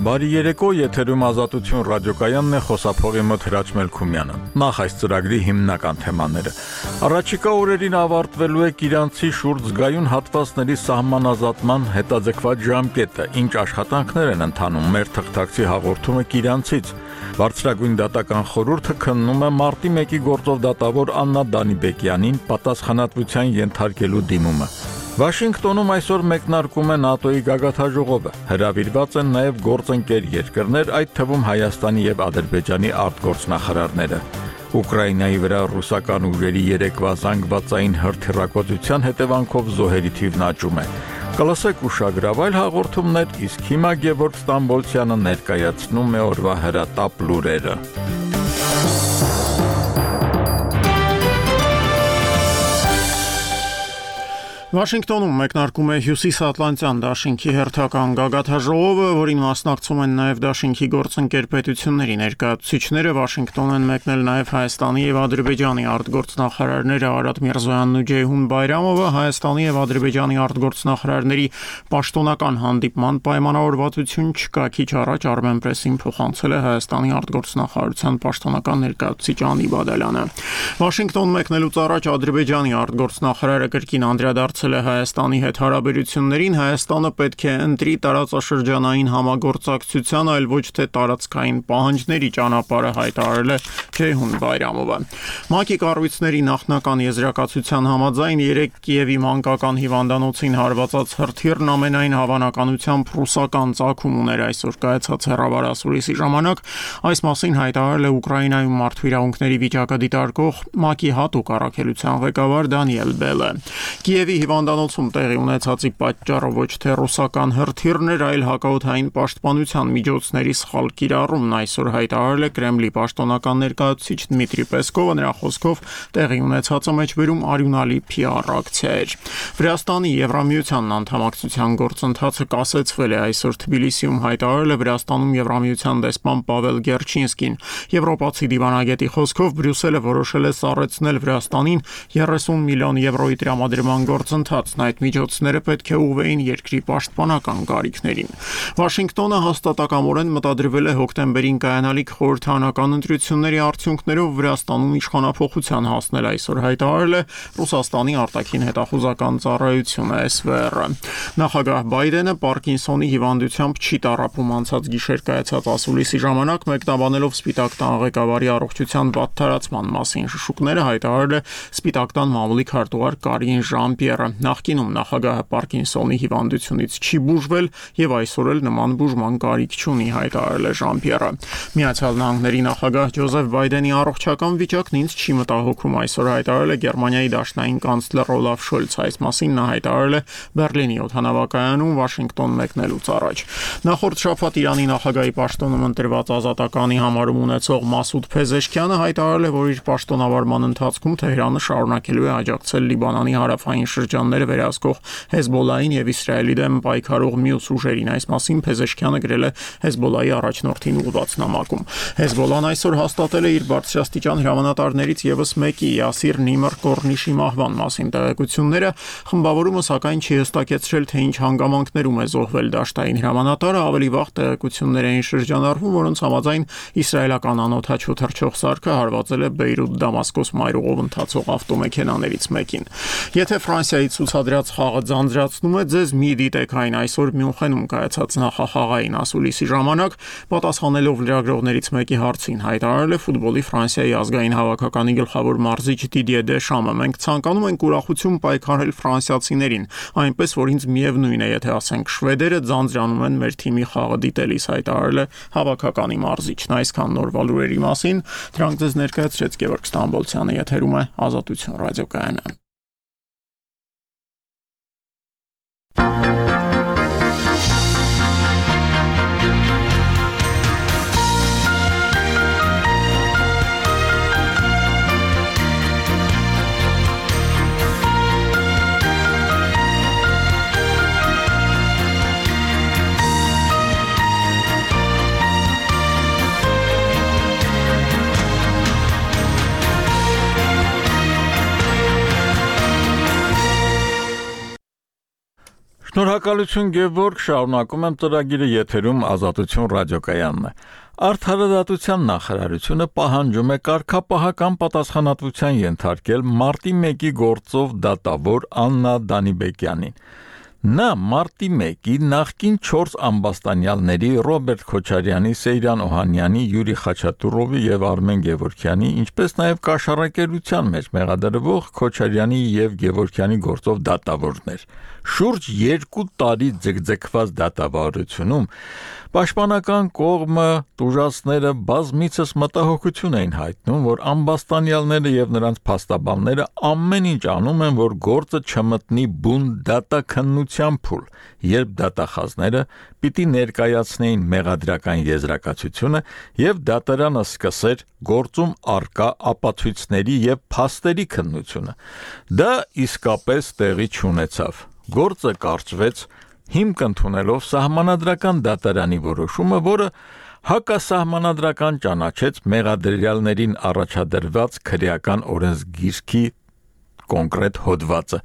Բարի երեկո, եթերում Ազատություն ռադիոկայանն է, խոսափողի մոտ Հրաչ Մելքումյանը։ Նախ այս ծրագրի հիմնական թեմաները։ Առաջիկա օրերին ավարտվելու է Իրանցի շուրջ զգայուն հատվածների սահմանազատման հետաձգված ժամկետը, ինչ աշխատանքներ են ընթանում, մեր թղթակցի հաղորդումը Իրանցից։ Բարձրագույն դատական խորհուրդը քննում է մարտի 1-ի գործով դատավոր Աննա Դանիբեկյանին պատասխանատվության ենթարկելու դիմումը։ Վաշինգտոնում այսօր մեկնարկում է ՆԱՏՕ-ի գագաթաժողովը։ Հրավիրված են նաև գործընկեր երկրներ, այդ թվում Հայաստանի եւ Ադրբեջանի արտգործնախարարները։ Ուկրաինայի վրա ռուսական ուժերի երեկվա զանգվածային հրթիռակոծության հետևանքով զոհերի թիվն աճում է։ Կլսեք ուշագրավայր հաղորդումներ, իսկ հիմա Գևորգ Ստամբոլցյանը ներկայացնում է օրվա հրատապ լուրերը։ Վաշինգտոնում մեկնարկում է Հյուսիսատլանտյան դաշինքի հերթական գագաթաժողովը, որին մասնակցում են նաև դաշինքի գործընկեր պետությունների ներկայացուցիչները։ Վաշինգտոն են մեկնել նաև Հայաստանի եւ Ադրբեջանի արտգործնախարարները Արադ Միրզոյանն ու Ջեյհուն Բայրամովը։ Հայաստանի եւ Ադրբեջանի արտգործնախարարների պաշտոնական հանդիպման պայմանավորվածություն չկա։ Քիչ առաջ Armenpress-ին փոխանցել է Հայաստանի արտգործնախարարության պաշտոնական ներկայացուցիչ Անի Բադալյանը։ Վաշինգտոն մեկնելուց առաջ Ադրբեջանի արտգործնախարարը կրկին անդրադարձել է Հայաստանի հետ հարաբերություններին։ Հայաստանը պետք է ընտրի տարածաշրջանային համագործակցության, այլ ոչ թե տարածքային պահանջների ճանապարհը, հայտարարել է Ջեյհուն Բայրամովը։ ՄԱԿ-ի կառույցների նախնական եզրակացության համաձայն 3 Կիևի մանկական հիվանդանոցին հարվածած հրթիռն ամենայն հավանականությամբ ռուսական ծագում ուներ այսօր կայացած հեռավար ասուլիսի ժամանակ։ Այս մասին հայտարարել է Ուկրաինայում մարդու իրավունքների վիճակը դիտարկող ՄԱԿ-ի հատուկ առաքելության ղեկավար Դանիել Բելը։ Կիևի հիվանդանոցում տեղի ունեցածի պատճառը ոչ թե ռուսական հրթիռն էր, այլ հակաօդային պաշտպանության միջոցների սխալ կիրառումն, այսօր հայտարարել է Կրեմլի պաշտոնական ներկայացուցիչ Դմիտրի Պեսկովը։ Նրա խոսքով տեղի ունեցածը մեջբերում արյունալի PR ակցիա էր։ Վրաստանի Եվրամիությանն անդամակցության գործընթացը կասեցվել է այսօր Թբիլիսիում, հայտարարել է Վրաստանում Եվրամիության դեսպան Պավել Գերչինսկին։ Եվրոպացի դիվանագետի խոսքով Բրյուսելը որոշել է սառեցնել Վրաստանին 30 միլիոն եվրոյի տրամադրման գործընթացն, այդ միջոցները պետք է ուղղվեին երկրի պաշտպանական կարիքներին։ Վաշինգտոնը հաստատակամորեն մտադրվել է հոկտեմբերին կայանալիք խորհրդարանական ընտրությունների արդյունքներով Վրաստանում իշխանափոխության հասնել, այսօր հայտարարել է Ռուսաստանի արտաքին հետախուզական ծառայությունը SVR-ը։ Նախագահ Բայդենը Պարկինսոնի հիվանդությամբ չի տառապում անցած գիշեր կայացած ասուլիսի ժամանակ, մեկնաբանելով Սպիտակ տան ղեկավարի առողջության վատթարացման մասին շշուկները, հայտարարել է Սպիտակ տան մամուլի քարտուղար Կարին Ժան-Պիերը։ Նախկինում նախագահը Պարկինսոնի հիվանդությունից չի բուժվել եւ այսօր էլ նման բուժման կարիք չունի, հայտարարել է Ժան-Պիերը։ Միացյալ Նահանգների նախագահ Ջոզեֆ Բայդենի առողջական վիճակն ինձ չի մտահոգում, այսօր հայտարարել է Գերմանիայի դաշնային կանցլեր Օլաֆ Շոլցը։ Այս մասին նա հայտարարել է Բերլինի օդանավակայանում Վաշինգտոն մեկնելուց առաջ։ Նախորդ շաբաթ Իրանի նախագահի պաշտոնում ընտրված ազատականի համարում ունեցող Մասուդ Փեզեշքյանը հայտարարել է, որ իր պաշտոնավարման ընթացքում Թեհրանը շարունակելու է աջակցել Լիբանանի հարավային շրջանները վերահսկող Հեզբոլլահին եւ Իսրայելի դեմ պայքարող մյուս ուժերին։ Այս մասին Փեզեշքյանը գրել է Հեզբոլլահի առաջնորդին ուղղված նամակում։ Հեզբոլլահն այսօր հաստատել է իր բարձրաստիճան հրամանատարներից եւս մեկի Յասիր Նիմր Կորնիշի մահվան մասին տեղեկությունները։ Խմբավորումը սակայն չի հստակեցրել, թե ինչ հանգամանքներում է զոհվել դաշտային հրամանատարը։ Ավելի վաղ տեղեկություններ էին շրջանառվում, որոնց համաձայն իսրայելական անօդաչու թռչող սարքը հարվածել է Բեյրութ-Դամասկոս մայրուղով ընթացող ավտոմեքենաներից մեկին։ Եթե Ֆրանսիայի ցուցադրած խաղը ձանձրացնում է ձեզ, մի դիտեք այն այսօր Մյունխենում կայացած նախախաղային ասուլիսի ժամանակ, պատասխանելով լրագրողներից մեկի հարցին, հայտարարել է ֆուտբոլի Ֆրանսիայի ազգային հավաքականի գլխավոր մարզիչ Դիդիե Դեշամը։ Մենք ցանկանում ենք ուրախություն պայքարել ֆրանսիացիներին, այնպես որ ինձ միևնույն է, եթե ասենք շվեդերը ձանձրանում են մեր թիմի խաղը դիտելիս, հայտարարել է հավաքականի մարզիչն։ Այսքան նորվա լուրերի մասին, դրանք ձեզ ներկայացրեց Գևորգ Ստամբոլցյանը, եթերում է Ազատություն ռադիոկայանը։ Շնորհակալություն Գևորգ, շարունակում եմ ծրագիրը եթերում Ազատություն ռադիոկայանն է։ Արդարադատության նախարարությունը պահանջում է կարգապահական պատասխանատվության ենթարկել մարտի 1-ի գործով դատավոր Աննա Դանիբեկյանին։ Նա մարտի 1-ի նախկին 4 ամբաստանյալների Ռոբերտ Քոչարյանի, Սեյրան Օհանյանի, Յուրի Խաչատուրովի եւ Արմեն Գևորգյանի, ինչպես նաեւ կաշառակերության մեջ մեղադրվող Քոչարյանի եւ Գևորգյանի գործով դատավորներ։ Շուրջ 2 տարի ձգձգված դատավարությունում Պաշտպանական կողմը տուժածները բազմիցս մտահոգություն էին հայտնում, որ ամբաստանյալները եւ նրանց փաստաբանները ամեն ինչ անում են, որ գործը չմտնի բուն դատաքննության փուլ, երբ դատախազները պիտի ներկայացնեին մեղադրական եզրակացությունը եւ դատարանը սկսեր գործում արկա ապացույցների եւ փաստերի քննությունը։ Դա իսկապես տեղի չունեցավ։ Գործը կարճվեց հիմք ընդունելով սահմանադրական դատարանի որոշումը, որը հակասահմանադրական ճանաչեց մեղադրյալներին առաջադրված քրեական օրենսգիրքի կոնկրետ հոդվածը,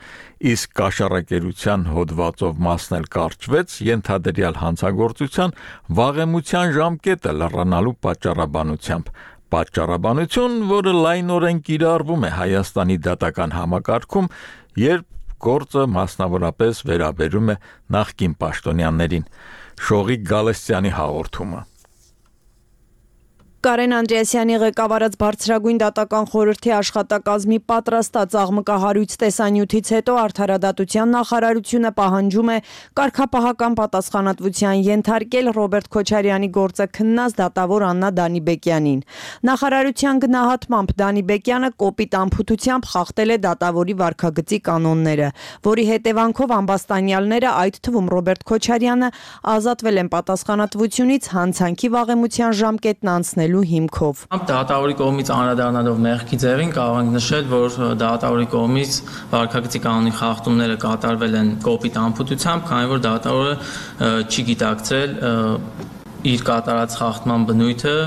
իսկ կաշառակերության հոդվածով մասն էլ կարճվեց ենթադրյալ հանցագործության վաղեմության ժամկետը լռանալու պատճառաբանությամբ։ Պատճառաբանություն, որը լայնորեն կիրառվում է Հայաստանի դատական համակարգում, երբ գործը մասնավորապես վերաբերում է նախկին պաշտոնյաներին։ Շողիկ Գալստյանի հաղորդումը։ Կարեն Անդրեասյանի ղեկավարած բարձրագույն դատական խորհրդի աշխատակազմի պատրաստած աղմկահարույց տեսանյութից հետո Արդարադատության նախարարությունը պահանջում է կարգապահական պատասխանատվության ենթարկել Ռոբերտ Քոչարյանի գործը քննած դատավոր Աննա Դանիբեկյանին։ Նախարարության գնահատմամբ Դանիբեկյանը կոպիտ անփութությամբ խախտել է դատավորի վարքագծի կանոնները, որի հետևանքով ամբաստանյալները, այդ թվում Ռոբերտ Քոչարյանը, ազատվել են պատասխանատվությունից հանցանքի վաղեմության ժամկետն անցնելու հիմքով։ Դատավորի կողմից անդրադառնալով մեղքի ձևին կարող ենք նշել, որ դատավորի կողմից վարքագծի կանոնի խախտումները կատարվել են կոպիտ անփութությամբ, քանի որ դատավորը չի գիտակցել իր կատարած խախտման բնույթը,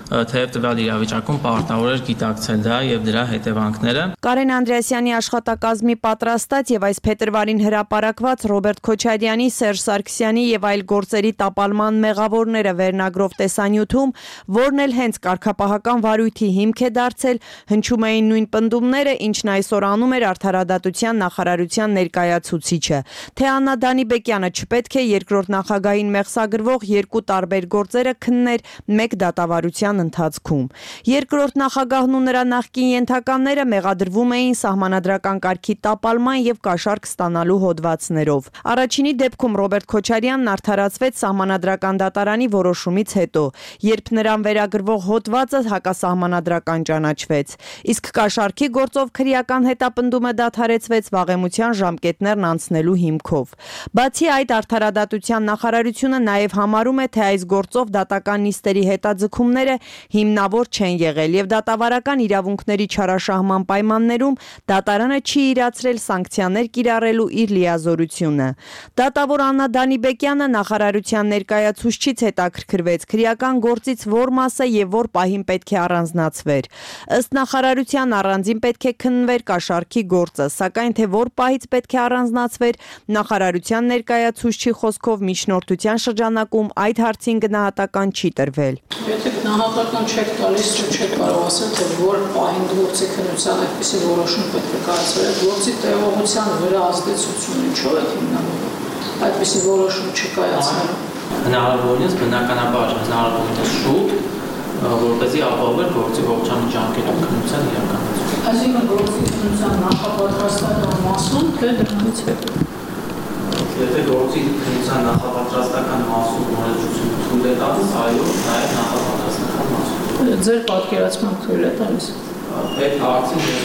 թեև տվյալ իրավիճակում պարտավոր էր գիտակցել դա եւ դրա հետևանքները։ Կարեն Անդրեասյանի աշխատակազմի պատրաստած եւ այս փետրվարին հրապարակված Ռոբերտ Քոչարյանի, Սերժ Սարգսյանի եւ այլ գործերի տապալման մեղավորները վերնագրով տեսանյութում, որն էլ հենց կարգապահական վարույթի հիմք է դարձել, հնչում էին նույն պնդումները, ինչն այսօր անում էր Արդարադատության նախարարության ներկայացուցիչը, թե Աննա Դանիբեկյանը չպետք է երկրորդ նախագահին մեղսագրվող 2 տարբեր գործերը քններ մեկ դատավարության ընթացքում։ Երկրորդ նախագահն ու նրա նախկին ենթականները մեղադրվում էին սահմանադրական կարգի տապալման եւ կաշառք ստանալու հոդվածներով։ Առաջինի դեպքում Ռոբերտ Քոչարյանն արդարացվեց սահմանադրական դատարանի որոշումից հետո, երբ նրան վերագրվող հոդվածը հակասահմանադրական ճանաչվեց, իսկ կաշառքի գործով քրեական հետապնդումը դադարեցվեց վաղեմության ժամկետներն անցնելու հիմքով։ Բացի այդ, Արդարադատության նախարարությունը նաեւ համարում է, թե այս գործով դատական նիստերի հետաձգումները հիմնավոր չեն եղել եւ դատավարական իրավունքների չարաշահման պայմաններում դատարանը չի իրացրել սանկցիաներ կիրառելու իր լիազորությունը։ Դատավոր Աննա Դանիբեկյանը նախարարության ներկայացուցչից հետաքրքրվեց քրեական գործից որ մասը եւ որ պահին պետք է առանձնացվեր։ Ըստ նախարարության առանձին պետք է քննվեր կաշառքի գործը, սակայն թե որ պահից պետք է առանձնացվեր, նախարարության ներկայացուցչի խոսքով միջնորդության շրջանակում այդ հարցին գնահատական չի տրվել։ Եթե գնահատական չեք տալիս, չեք կարող ասել, թե որ պահին գործի քննության այդպիսի որոշում պետք է կայացվեր, գործի տևողության վրա ազդեցությունը ինչով է հիմնավորվում։ Այդպիսի որոշում չկայացնելու։ Հնարավորինս բնականաբար հնարավորինս շուտ, որպեսզի ապահովել գործի ողջամիտ ժամկետում քննության իրականացումը։ Այսինքն գործի քննության նախապատրաստական մասում, թե դրանից հետո։ Եթե գործի քննության նախապատրաստական մասում նորաձևություն թույլ է տալիս, այո, նաև նախապատրաստական մասում։ Ձեր պատկերացման թույլ է տալիս։ Այդ հարցին ես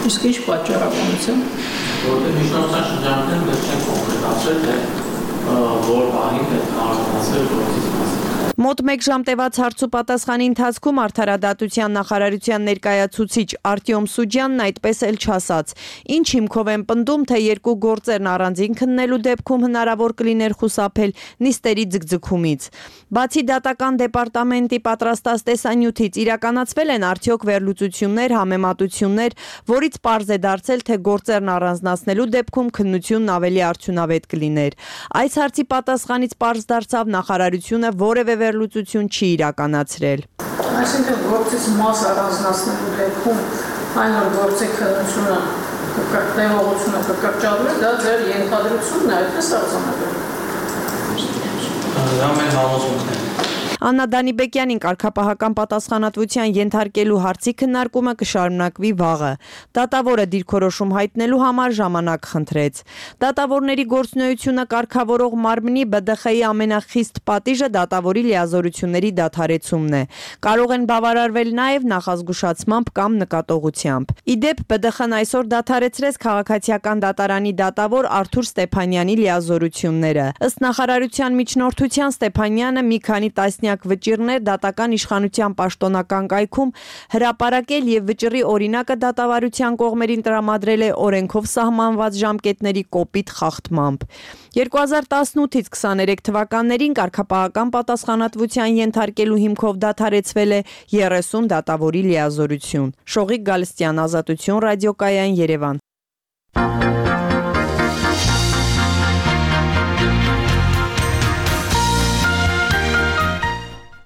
Իսկ ինչ պատճառաբանությամբ։ Որտեղ միջնորդության շրջանակներում մենք չենք կոնկրետացրել, թե որ պահին պետք է առանձնացնել գործից մասը։ Մոտ 1 ժամ տևած հարցուպատասխանի ընթացքում Արդարադատության նախարարության ներկայացուցիչ Արտյոմ Սուջյանն այդպես էլ չասաց. ինչ հիմքով են պնդում, թե երկու գործերն առանձին քննելու դեպքում հնարավոր կլիներ խուսափել նիստերի ձգձգումից։ Բացի դատական դեպարտամենտի պատրաստած տեսանյութից իրականացվել են արդյոք վերլուծություններ, համեմատություններ, որից պարզ է դարձել, թե գործերն առանձնացնելու դեպքում քննությունն ավելի արդյունավետ կլիներ։ Այս հարցի պատասխանից պարզ դարձավ նախարարությունը որևէ վերլուծություն չի իրականացրել։ Այսինքն գործից մաս առանձնացնելու դեպքում այն որ գործի քննությունը կկրկնողությունը կկրճատվի, դա ձեր ենթադրությունն է, այդպես արձանագրել։ Դա մեր համոզմունքն է։ Աննա Դանիբեկյանին կարգապահական պատասխանատվության ենթարկելու հարցի քննարկումը կշարունակվի վաղը։ Դատավորը դիրքորոշում հայտնելու համար ժամանակ խնդրեց։ Դատավորների գործունեությունը կարգավորող մարմնի ԲԴԽ-ի ամենախիստ պատիժը դատավորի լիազորությունների դադարեցումն է։ Կարող են բավարարվել նաև նախազգուշացմամբ կամ նկատողությամբ։ Իդեպ ԲԴԽ-ն այսօր դադարեցրեց քաղաքացիական դատարանի դատավոր Արթուր Ստեփանյանի լիազորությունները։ Ըստ նախարարության միջնորդության Ստեփանյանը մի քանի տասնյակ վճիռներ դատական իշխանության պաշտոնական կայքում հրապարակել եւ վճռի օրինակը դատավարության կողմերին տրամադրել է օրենքով սահմանված ժամկետների կոպիտ խախտմամբ։ 2018-ից 23 թվականներին կարգապահական պատասխանատվության ենթարկելու հիմքով դադարեցվել է 30 դատավորի լիազորություն։ Շողիկ Գալստյան, Ազատություն, Ռադիոկայան, Երևան։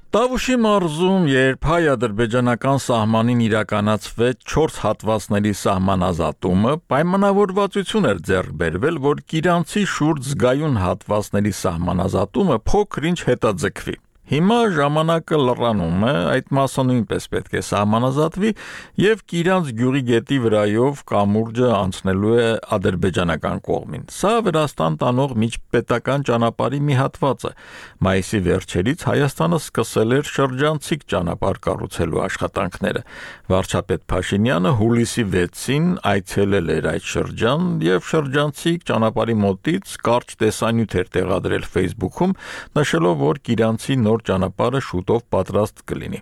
Տավուշի մարզում, երբ հայ-ադրբեջանական սահմանին իրականացվեց 4 հատվածների սահմանազատումը, պայմանավորվածություն էր ձեռք բերվել, որ Կիրանցի շուրջ զգայուն հատվածների սահմանազատումը փոքր-ինչ հետաձգվի։ Հիմա ժամանակը լռանում է, այդ մասը նույնպես պետք է սահմանազատվի եւ Կիրանց գյուղի գետի վրայով կամուրջը անցնելու է ադրբեջանական կողմին։ Սա Վրաստան տանող միջպետական ճանապարհի մի հատված է։ Մայիսի վերջերից Հայաստանը սկսել էր շրջանցիկ ճանապարհ կառուցելու աշխատանքները։ Վարչապետ Փաշինյանը հուլիսի 6-ին այցելել էր այդ շրջան եւ շրջանցիկ ճանապարհի մոտից կարճ տեսանյութ էր տեղադրել Facebook-ում, նշելով, որ Կիրանցի նոր ճանապարհը շուտով պատրաստ կլինի։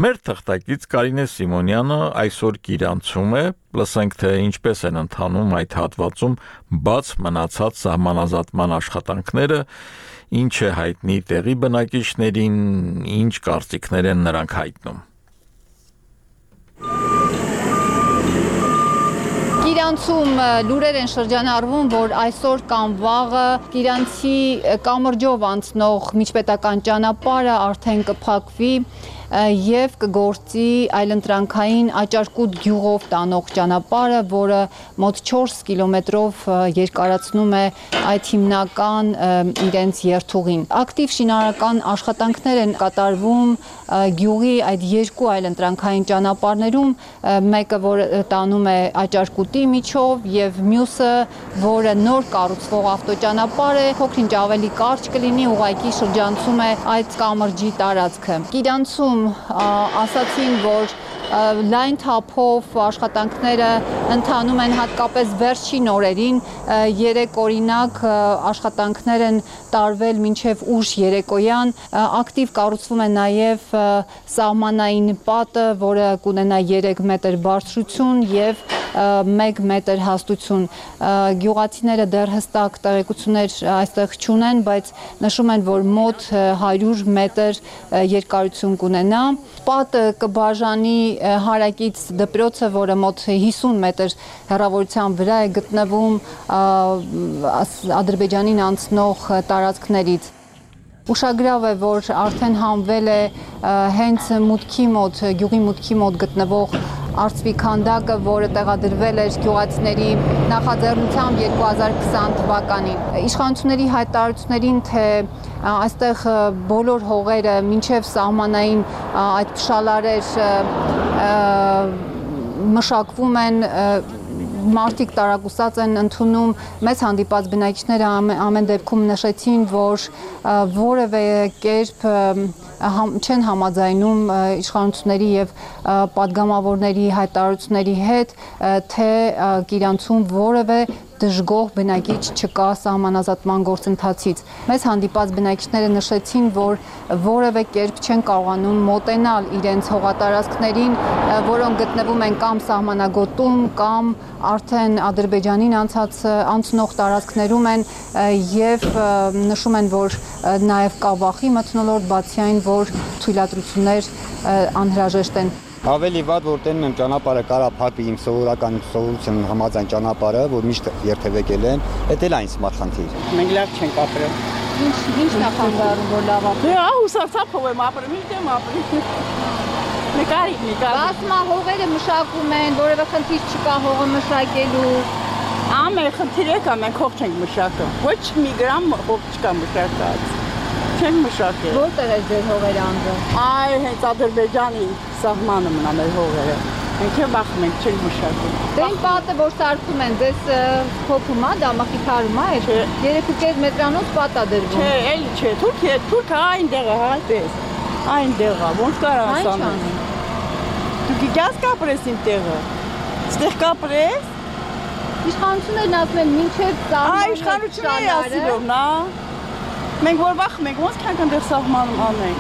Մեր թղթակից Կարինե Սիմոնյանը այսօր Կիրանցում է, լսենք թե ինչպես են ընթանում այդ հատվածում բաց մնացած սահմանազատման աշխատանքները, ինչ է հայտնի տեղի բնակիչներին, ինչ կարծիքներ են նրանք հայտնում։ Կիրանցում լուրեր են շրջանառվում, որ այսօր կամ վաղը Կիրանցի կամրջով անցնող միջպետական ճանապարհը արդեն կփակվի եւ կգործի այլընտրանքային Աճարկուտ գյուղով տանող ճանապարհը, որը մոտ 4 կիլոմետրով երկարացնում է այդ հիմնական իրենց երթուղին։ Ակտիվ շինարարական աշխատանքներ են կատարվում գյուղի այդ երկու այլընտրանքային ճանապարհներում, մեկը որ տանում է Աճարկուտի միջով եւ մյուսը, որը նոր կառուցվող ավտոճանապարհ է, փոքր-ինչ ավելի կարճ կլինի, ուղղակի շրջանցում է այդ կամրջի տարածքը։ Կիրանցում ասացին, որ լայն թափով աշխատանքները ընթանում են հատկապես վերջին օրերին, երեք օրինակ աշխատանքներ են տարվել մինչև ուշ երեկոյան, ակտիվ կառուցվում է նաև սահմանային պատը, որը կունենա 3 մետր բարձրություն եւ 1 մետր հաստություն։ Գյուղացիները դեռ հստակ տեղեկություններ այստեղ չունեն, բայց նշում են, որ մոտ 100 մետր երկարություն կունենա։ Պատը կբաժանի հարակից դպրոցը, որը մոտ 50 մետր հեռավորության վրա է գտնվում Ադրբեջանին անցնող տարածքներից։ Ուշագրավ է, որ արդեն հանվել է հենց մուտքի մոտ, գյուղի մուտքի մոտ գտնվող արծվի քանդակը, որը տեղադրվել էր գյուղացիների նախաձեռնությամբ 2020 թվականին։ Իշխանությունների հայտարարություններին, թե այստեղ բոլոր հողերը մինչև սահմանային այդ փշալարեր մշակվում են, մարդիկ տարակուսած են ընդունում, մեծ հանդիպած բնակիչները ամեն դեպքում նշեցին, որ որևէ կերպ չեն համաձայնում իշխանությունների եւ պատգամավորների հայտարարությունների հետ, թե Կիրանցում որևէ դժգոհ բնակիչ չկա սահմանազատման գործընթացից։ Մեզ հանդիպած բնակիչները նշեցին, որ որևէ կերպ չեն կարողանում մոտենալ իրենց հողատարածքներին, որոնք գտնվում են կամ սահմանագոտում, կամ արդեն Ադրբեջանին անցնող տարածքներում են եւ նշում են, որ նաեւ կա վախի մթնոլորտ, բացի այն, որ թույլատրություններ անհրաժեշտ են։ Ավելի վատ որ տենում եմ ճանապարհը կարա փակվի իմ սովորական սովորության համաձայն ճանապարհը, որ միշտ երթևեկել են, դա էլ այն սմարխնդիր։ Մենք լավ չենք ապրել։ Ինչ նախագծում որ լավ ապրել։ Դե հուսացապով եմ ապրել, միշտ ապրել։ Նկարի։ Ասма հողերը մշակում են, որևէ խնդիր չկա հողը մշակելու։ Ամեն խնդիրը կա, մենք հող չենք մշակում։ Ոչ մի գրամ հող չկա մշակած։ Չենք մշակել։ Որտեղ է ձեր հողերը անձը։ Այ հենց Ադրբեջանի սահմանը մնա մեր հողերը։ Մենք վախում ենք, չենք մշակում։ Դե այն պատը, որ սարքում են, ձեզ փոփում է, դա մխիթարում է, 3.5 մետրանոց պատ է դրվում։ Չէ, էլի չէ, թուրքը այնտեղ է, այդպես։ Այնտեղ է, ոնց կարա ասանել։ Դու գիտես կապրես իմ տեղը։ Ստեղ կապրես։ Իշխանություններն ասում են մինչև սահմանը։ Իշխանությունները ասելով, նա։ Մենք որ վախում ենք, ոնց կանք այնտեղ սահմանում անենք։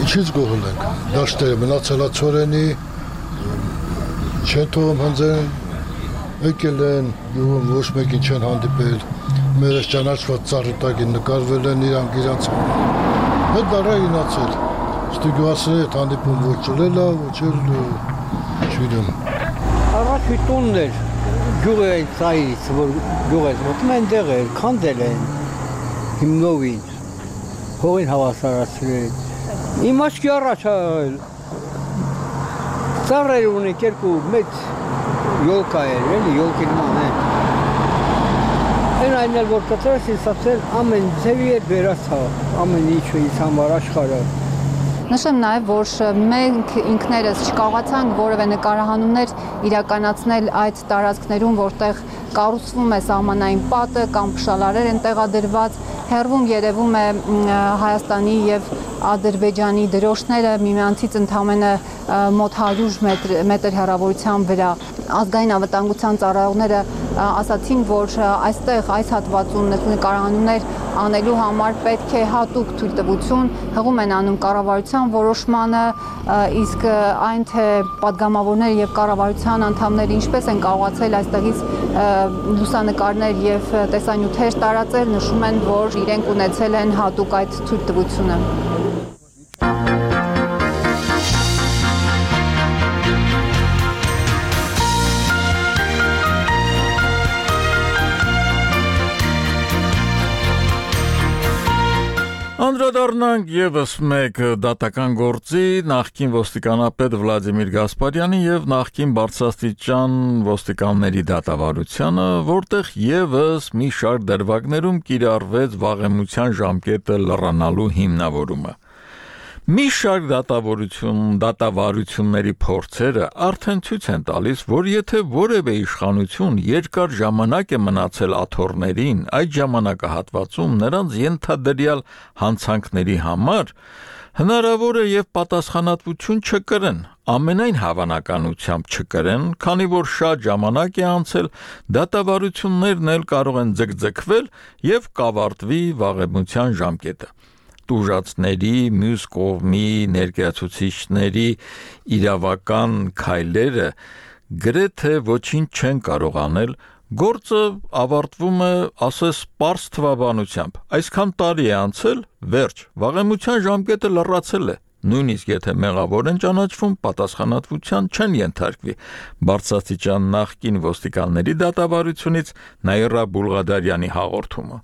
Ինչից գողում ենք։ Դաշտերը մնացելա ծորենի, չեն թողում հնձեն, եկել են, գյուղում ոչ մեկին չեն հանդիպել, մերս ճանաչված ծառի տակին նկարվել են իրանք, հետ դարա ինացել, ստի գյուղասրի հետ հանդիպում ոչ ճլել է, ոչ էլ չվիրում։ Առաջի տունն էր, գյուղը այն ծայրից, որ գյուղ ես մոտում են դեղ էր, քանդել են, հիմնովին, հողին հավասարացրել, իմ աչքի առաջ ծառեր ունենք երկու մեծ յոլկա էր, էլի յոլկի նման է։ Այն էլ որ կտրես ինձ ասել ամեն ձևի էր բերած ամեն ինչը ինձ համար աշխարհը։ Նշեմ նաև, որ մենք ինքներս չկարողացանք որևէ նկարահանումներ իրականացնել այդ տարածքներում, որտեղ կառուցվում է սահմանային պատը կամ փշալարեր են տեղադրված, հեռվում երևում է Հայաստանի եւ Ադրբեջանի դրոշները միմյանցից ընդամենը մոտ 100 մետր հեռավորության վրա։ Ազգային անվտանգության ծառայողները ասացին, որ այստեղ այս հատվածում նկարահանումներ անելու համար պետք է հատուկ թույլտվություն, հղում են անում կառավարության որոշմանը, իսկ այն թե պատգամավորները եւ կառավարության անդամները ինչպես են կարողացել այստեղից լուսանկարներ եւ տեսանյութեր տարածել, նշում են, որ իրենք ունեցել են հատուկ այդ թույլտվությունը։ Անդրադառնանք եւս մեկ դատական գործի նախկին ոստիկանապետ Վլադիմիր Գասպարյանի եւ նախկին բարձրաստիճան ոստիկանների դատավարությանը, որտեղ եւս մի շարք դրվագներում կիրառվեց վաղեմության ժամկետը լրանալու հիմնավորումը։ Մի շարք դատավարությունների փորձերը արդեն ցույց են տալիս, որ եթե որևէ իշխանություն երկար ժամանակ է մնացել աթոռներին, այդ ժամանակահատվածում նրանց ենթադրյալ հանցանքների համար հնարավոր է եւ պատասխանատվություն չկրեն, ամենայն հավանականությամբ չկրեն, քանի որ շատ ժամանակ է անցել, դատավարություններն էլ կարող են ձգձգվել եւ կավարտվի վաղեմության ժամկետը։ Տուժածների, մյուս կողմի ներկայացուցիչների իրավական քայլերը գրեթե ոչինչ չեն կարող անել, գործը ավարտվում է, ասես, պարզ թվաբանությամբ։ Այսքան տարի է անցել, վերջ, վաղեմության ժամկետը լրացել է։ Նույնիսկ եթե մեղավոր են ճանաչվում, պատասխանատվության չեն ենթարկվի։ Բարձրաստիճան նախկին ոստիկանների դատավարությունից Նաիրա Բուլղադարյանի հաղորդումը։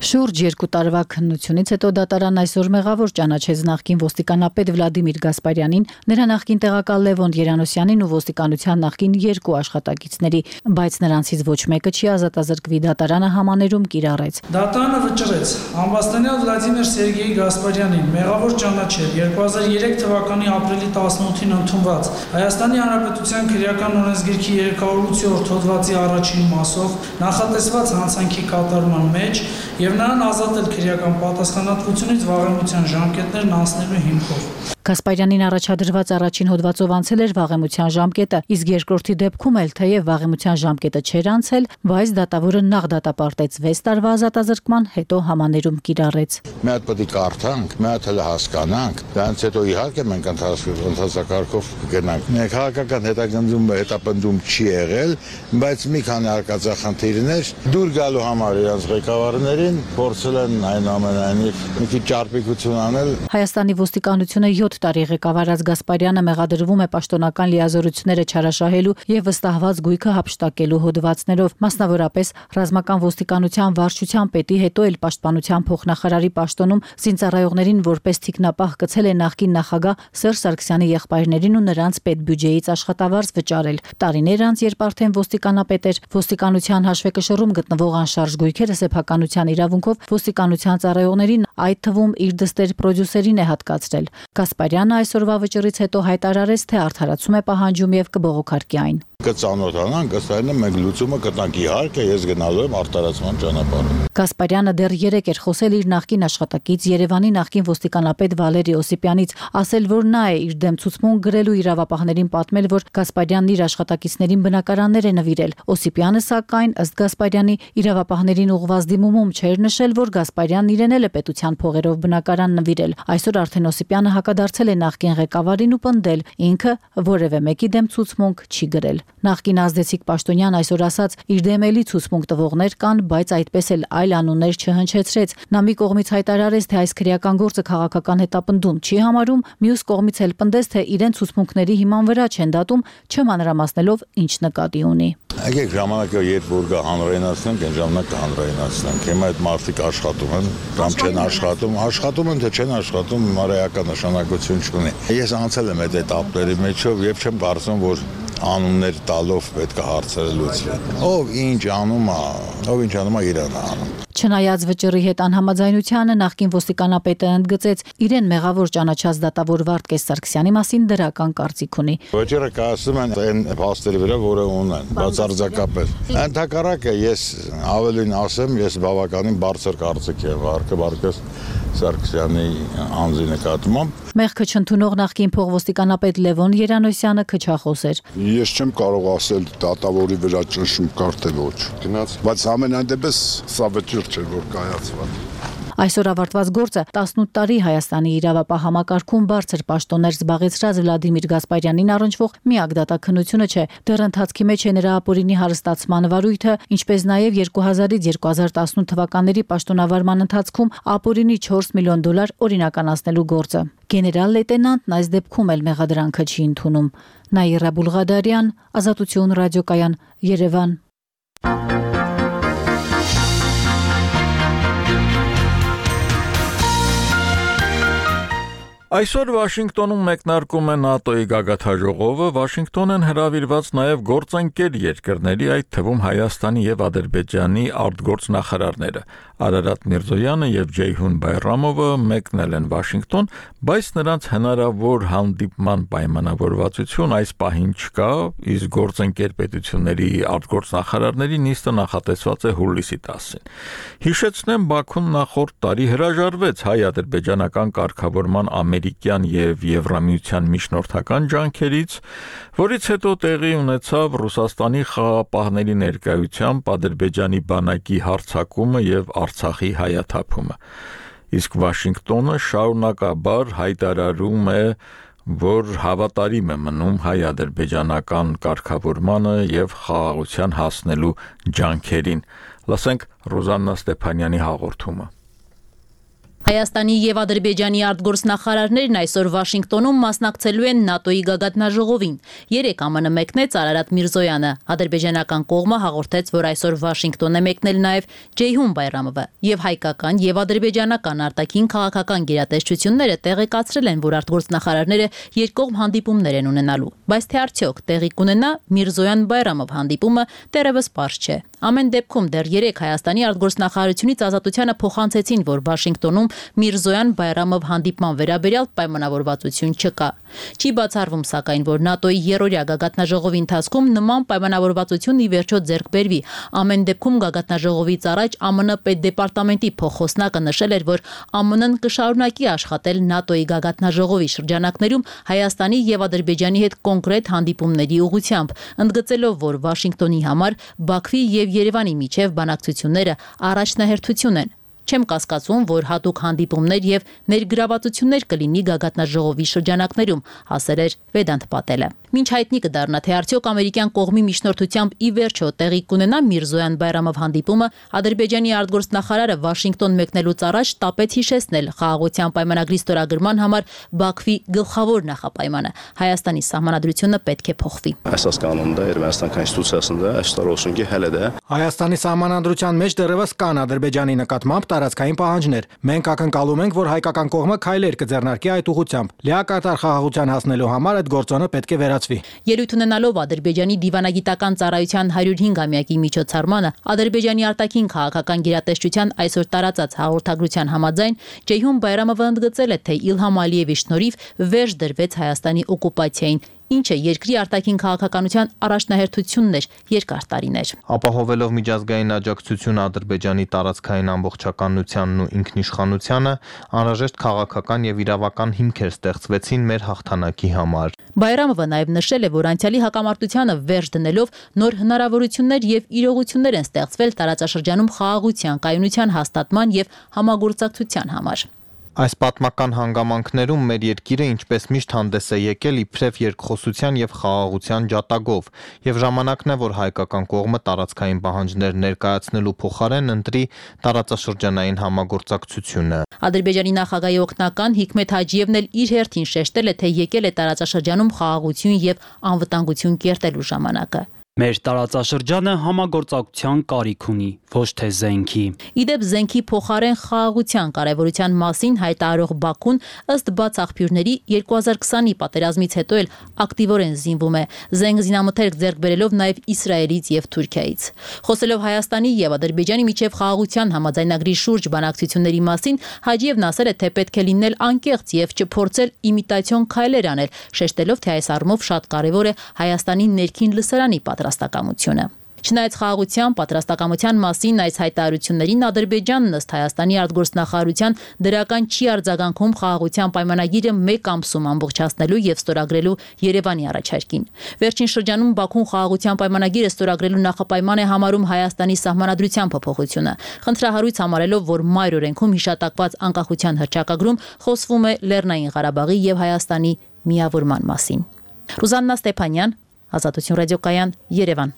Շուրջ 2 տարվա քննությունից հետո դատարանն այսօր մեղավոր ճանաչեց նախկին ոստիկանապետ Վլադիմիր Գասպարյանին, նրա նախկին տեղակալ Լևոն Երանոսյանին ու ոստիկանության նախկին 2 աշխատակիցների, բայց նրանցից ոչ մեկը չի ազատազրկվի, դատարանը համաներում կիրառեց։ Դատարանը վճռեց ամբաստանյալ Վլադիմիր Սերգեյ Գասպարյանին մեղավոր ճանաչել 2003 թվականի ապրիլի 18-ին ընդունված Հայաստանի Հանրապետության քրեական օրենսգիրքի 308-րդ հոդվածի առաջին մասով նախատեսված հանցանքի կատարման մեջ եւ նրան ազատել քրեական պատասխանատվությունից վաղեմության ժամկետներն անցնելու հիմքով։ Գասպարյանին առաջադրված առաջին հոդվածով անցել էր վաղեմության ժամկետը, իսկ երկրորդի դեպքում էլ թեև վաղեմության ժամկետը չէր անցել, բայց դատավորը նախ դատապարտեց 6 տարվա ազատազրկման, հետո համաներում կիրառեց։ Մի հատ պետք է կարդանք, մի հատ էլ հասկանանք, դրանից հետո իհարկե մենք ընթացակարգով կգնանք։ Քաղաքական հետապնդում չի եղել, բայց մի քանի արկածախնդիրներ դուր գալու համար իրենց ղեկավարներին փորձել են այնուամենայնիվ մի քիչ ճարպիկություն անել։ Հայաստանի ոստիկանությունը 7 տարի ղեկավարած Գասպարյանը մեղադրվում է պաշտոնական լիազորությունները չարաշահելու եւ վստահված գույքը հափշտակելու հոդվածներով, մասնավորապես ռազմական ոստիկանության վարչության պետի, հետո էլ պաշտպանության փոխնախարարի պաշտոնում զինծառայողներին որպես թիկնապահ գցել է նախկին նախագահ Սերժ Սարգսյանի եղբայրներին ու նրանց պետբյուջեից աշխատավարձ վճարել։ Տարիներ անց, երբ արդեն ոստիկանապետ էր, ոստիկանության հաշվեկշռում գտնվող անշարժ գույքերը սեփականության իրավունքով ոստիկանության ծառայողներին, այդ թվում իր դստեր պրոդյուսերին է հատկացրել։ Գասպարյանը այսօրվա վճռից հետո հայտարարեց, թե արդարացում է պահանջում եւ կբողոքարկի այն։ Կծանոթանանք, ըստ այնու մենք լուծումը կտանք, իհարկե ես գնալու եմ արտարացման ճանապարհով։ Գասպարյանը դեռ 3 էր խոսել իր նախկին աշխատակից Երևանի նախկին ոստիկանապետ Վալերի Օսիպյանից, ասել, որ նա է իր դեմ ցուցմունք գրելու իրավապահներին պատմել, որ Գասպարյանն իր աշխատակիցներին բնակարաններ է նվիրել։ Օսիպյանը, սակայն, ըստ Գասպարյանի, իրավապահներին ուղղված դիմումում չէր նշել, որ Գասպարյանն իրեն էլ է պետության փողերով բնակարան նվիրել։ Այսօր արդեն Օսիպյանը հակադարձել է նախկին ղեկավարին ու պնդել, ինքը որևէ մեկի դեմ ցուցմունք չի գրել։ Նախկին ազդեցիկ պաշտոնյան այսօր ասաց, իր դեմ էլի ցուցմունք տվողներ կան, բայց այդպես էլ այլ անուններ չհնչեցրեց։ Նա մի կողմից հայտարարեց, թե այս քրեական գործը քաղաքական հետապնդում չի համարում, մյուս կողմից էլ պնդեց, թե իրեն ցուցմունքների հիման վրա չեն դատում, չմանրամասնելով ինչ նկատի ունի։ Եկեք ժամանակը երբ որ գա հանրայնացնենք, այն ժամանակ կհանրայնացնենք։ Հիմա այդ մարդիկ աշխատում են, կամ չեն աշխատում են, թե չեն աշխատում, մարեական նշանակություն չունի։ Ես անցել եմ այդ этаպների մեջով եւ չեմ կարծում, որ անուններ տալով պետք է հարցերը լուծվեն։ Ով ինչ անում է, իրան է անում։ Չնայած վճռի հետ անհամաձայնությանը, նախկին ոստիկանապետը ընդգծեց, իրեն մեղավոր ճանաչած դատավոր Վարդգես Սարգսյանի մասին դրական կարծիք ունի։ Վճռը կասում են այն փաստերի վրա, որը ունեն, բացարձակապես։ Ընդհակառակը ես ավելին ասեմ, ես բավականին բարձր կարծիք եմ Վարդգես Սարգսյանի անձի նկատմամբ։ Մեղքը չընդունող նախկին փոխոստիկանապետ Լևոն Երանոսյանը քչախոս էր։ Ես չեմ կարող ասել դատավորի վրա ճնշում կար թե ոչ։ Բայց ամենայն դեպս սա վճիռ չէ, որ կայացված։ Այսօր ավարտված գործը 18 տարի Հայաստանի իրավապահ համակարգում բարձր պաշտոններ զբաղեցրած Վլադիմիր Գասպարյանին առնչվող միակ դատաքննությունը չէ, դեռ ընթացքի մեջ է նրա ապօրինի հարստացման վարույթը, ինչպես նաև 2000-ից 2018 թվականների պաշտոնավարման ընթացքում ապօրինի $4 միլիոն օրինականացնելու գործը։ Գեներալ լեյտենանտն այս դեպքում էլ մեղադրանքը չի ընդունում։ Նաիրա Բուլղադարյան, Ազատություն ռադիոկայան, Երևան։ Այսօր Վաշինգտոնում մեկնարկում է ՆԱՏՕ-ի գագաթաժողովը, Վաշինգտոն են հրավիրված նաև գործընկեր երկրների, այդ թվում Հայաստանի եւ Ադրբեջանի արտգործնախարարները։ Արարատ Միրզոյանը եւ Ջեյհուն Բայրամովը մեկնել են Վաշինգտոն, բայց նրանց հնարավոր հանդիպման պայմանավորվածություն այս պահին չկա, իսկ գործընկեր պետությունների արտգործնախարարների նիստը նախատեսված է հուլիսի 10-ին։ Հիշեցնեմ, Բաքուն նախորդ տարի հրաժարվեց հայ-ադրբեջանական կարգավորման ամերիկյան եւ Եվրամիության միջնորդական ջանքերից, որից հետո տեղի ունեցավ Ռուսաստանի խաղապահների ներկայությամբ Ադրբեջանի բանակի հարձակումը եւ Արցախի հայաթափումը։ Իսկ Վաշինգտոնը շարունակաբար հայտարարում է, որ հավատարիմ է մնում հայ-ադրբեջանական կարգավորմանը եւ խաղաղության հասնելու ջանքերին։ Լսենք Ռոզաննա Ստեփանյանի հաղորդումը։ Հայաստանի եւ Ադրբեջանի արտգործնախարարներն այսօր Վաշինգտոնում մասնակցելու են ՆԱՏՕ-ի գագաթնաժողովին։ 3 ԱՄՆ մեկնեց Արարատ Միրզոյանը։ Ադրբեջանական կողմը հաղորդեց, որ այսօր Վաշինգտոն է մեկնել նաեւ Ջեյհուն Բայրամովը, եւ հայկական եւ ադրբեջանական արտաքին քաղաքական գերատեսչությունները տեղեկացրել են, որ արտգործնախարարները երկկողմ հանդիպումներ են ունենալու։ Բայց թե արդյոք տեղի կունենա Միրզոյան-Բայրամով հանդիպումը դեռևս պարզ չէ։ Ամեն դեպքում դեռ 3 Հայաստանի արտգործնախարարությունից ազատությանը փոխանցեցին, որ Վաշինգտոնում Միրզոյան Բայրամով հանդիպման վերաբերյալ պայմանավորվածություն չկա։ Չի բացառվում, սակայն, որ ՆԱՏՕ-ի երրորդյա գագաթնաժողովի ընթացքում նման պայմանավորվածություն ի վերջո ձեռք բերվի։ Ամեն դեպքում գագաթնաժողովից առաջ ԱՄՆ պետդեպարտամենտի փոխխոսնակը նշել էր, որ ԱՄՆ-ն կշարունակի աշխատել ՆԱՏՕ-ի գագաթնաժողովի շրջանակներում Հայաստանի եւ Ադրբեջանի հետ կոնկրետ հանդիպումների ուղղությամբ, ընդգծելով, որ Վաշինգտոնի համար Բաքվի եւ Երևանի միջև բանակցությունները առաջնահերթություն են։ Չեմ կասկածում, որ հատուկ հանդիպումներ եւ ներգրավվածություններ կլինի գագաթնաժողովի շրջանակներում, ասել էր Վեդանտ Պատելը։ Մինչ հայտնի կդառնա, թե արդյոք ամերիկյան կողմի միջնորդությամբ ի վերջո տեղի կունենա Միրզոյան Բայրամով հանդիպումը, Ադրբեջանի արտգործնախարարը Վաշինգտոն մեկնելուց առաջ տապեց հիշեցնել խաղաղության պայմանագրի ստորագրման համար Բաքվի գլխավոր նախապայմանը՝ Հայաստանի սահմանադրությունը պետք է փոխվի։ Əsas qanunda Ermənistan konstitusiyasında əfsuslar olsun ki, hələ də Հայաստանի սահմանադրության մեջ դեռևս կան Ադրբեջանի նկատմամբ տարածքային պահանջներ։ Մենք ակնկալում ենք, որ հայկական կողմը քայլեր կձեռնարկի այդ ուղղությամբ։ Լիակատար խաղաղության հասնելու համար այդ գործոնը պետք է վերացվի։ Ելույթ ունենալով Ադրբեջանի դիվանագիտական ծառայության 105-ամյակի միջոցառմանը Ադրբեջանի արտաքին քաղաքական գերատեսչության այսօր տարածած հաղորդագրության համաձայն Ceyhun Bayramova ընդգծել է, թե Իլհամ Ալիևի շնորհիվ վերջ դրվեց Հայաստանի օկուպացիային, ինչը երկրի արտաքին քաղաքականության առաջնահերթությունն էր երկար տարիներ։ Ապահովելով միջազգային աջակցություն Ադրբեջանի տարածքային ամբողջականությանն ու ինքնիշխանությանը, անհրաժեշտ քաղաքական եւ իրավական հիմքեր ստեղծվեցին մեր հաղթանակի համար։ Բայրամովը նաև նշել է, որ անցյալի հակամարտությանը վերջ դնելով նոր հնարավորություններ եւ իրողություններ են ստեղծվել տարածաշրջանում խաղաղության, կայունության հաստատման եւ համագործակցության համար։ Այս պատմական հանգամանքներում մեր երկիրը ինչպես միշտ հանդես է եկել իբրև երկխոսության եւ խաղաղության ջատագով, եւ ժամանակն է, որ հայկական կողմը տարածքային պահանջներ ներկայացնելու փոխարեն ընտրի տարածաշրջանային համագործակցությունը։ Ադրբեջանի նախագահի օգնական Հիկմետ Հաջիևն էլ իր հերթին շեշտել է, թե եկել է տարածաշրջանում խաղաղություն եւ անվտանգություն կերտելու ժամանակը։ Մեր տարածաշրջանը համագործակցության կարիք ունի, ոչ թե զենքի։ Իդեպ զենքի փոխարեն խաղաղության կարևորության մասին հայտարարող Բաքուն ըստ բաց աղբյուրների 2020-ի պատերազմից հետո էլ ակտիվորեն զինվում է, զենք զինամթերք ձեռք բերելով նաև Իսրայելից եւ Թուրքիայից։ Խոսելով Հայաստանի եւ Ադրբեջանի միջև խաղաղության համաձայնագրի շուրջ բանակցությունների մասին, Հաջիևն ասել է, թե պետք է լինել անկեղծ եւ չփորձել իմիտացիոն քայլեր անել, շեշտելով, թե այս առումով շատ կարևոր է Հայաստանի ներքին լսարանի պատրաստակամությունը։ Չնայած խաղաղության պատրաստակամության մասին այս հայտարարություններին Ադրբեջանն ըստ Հայաստանի արտգործնախարարության դրական չի արձագանքում խաղաղության պայմանագիրը մեկ ամսում ամբողջացնելու եւ ստորագրելու Երևանի առաջարկին։ Վերջին շրջանում Բաքուն խաղաղության պայմանագիրը ստորագրելու նախապայման է համարում Հայաստանի սահմանադրության փոփոխությունը, խնդրահարույց համարելով, որ մայր օրենքում հիշատակված անկախության հռչակագրում խոսվում է Լեռնային Ղարաբաղի եւ Հայաստանի միավորման մասին։ Ռուզաննա Ստեփանյան, Ազատություն ռադիոկայան, Երևան։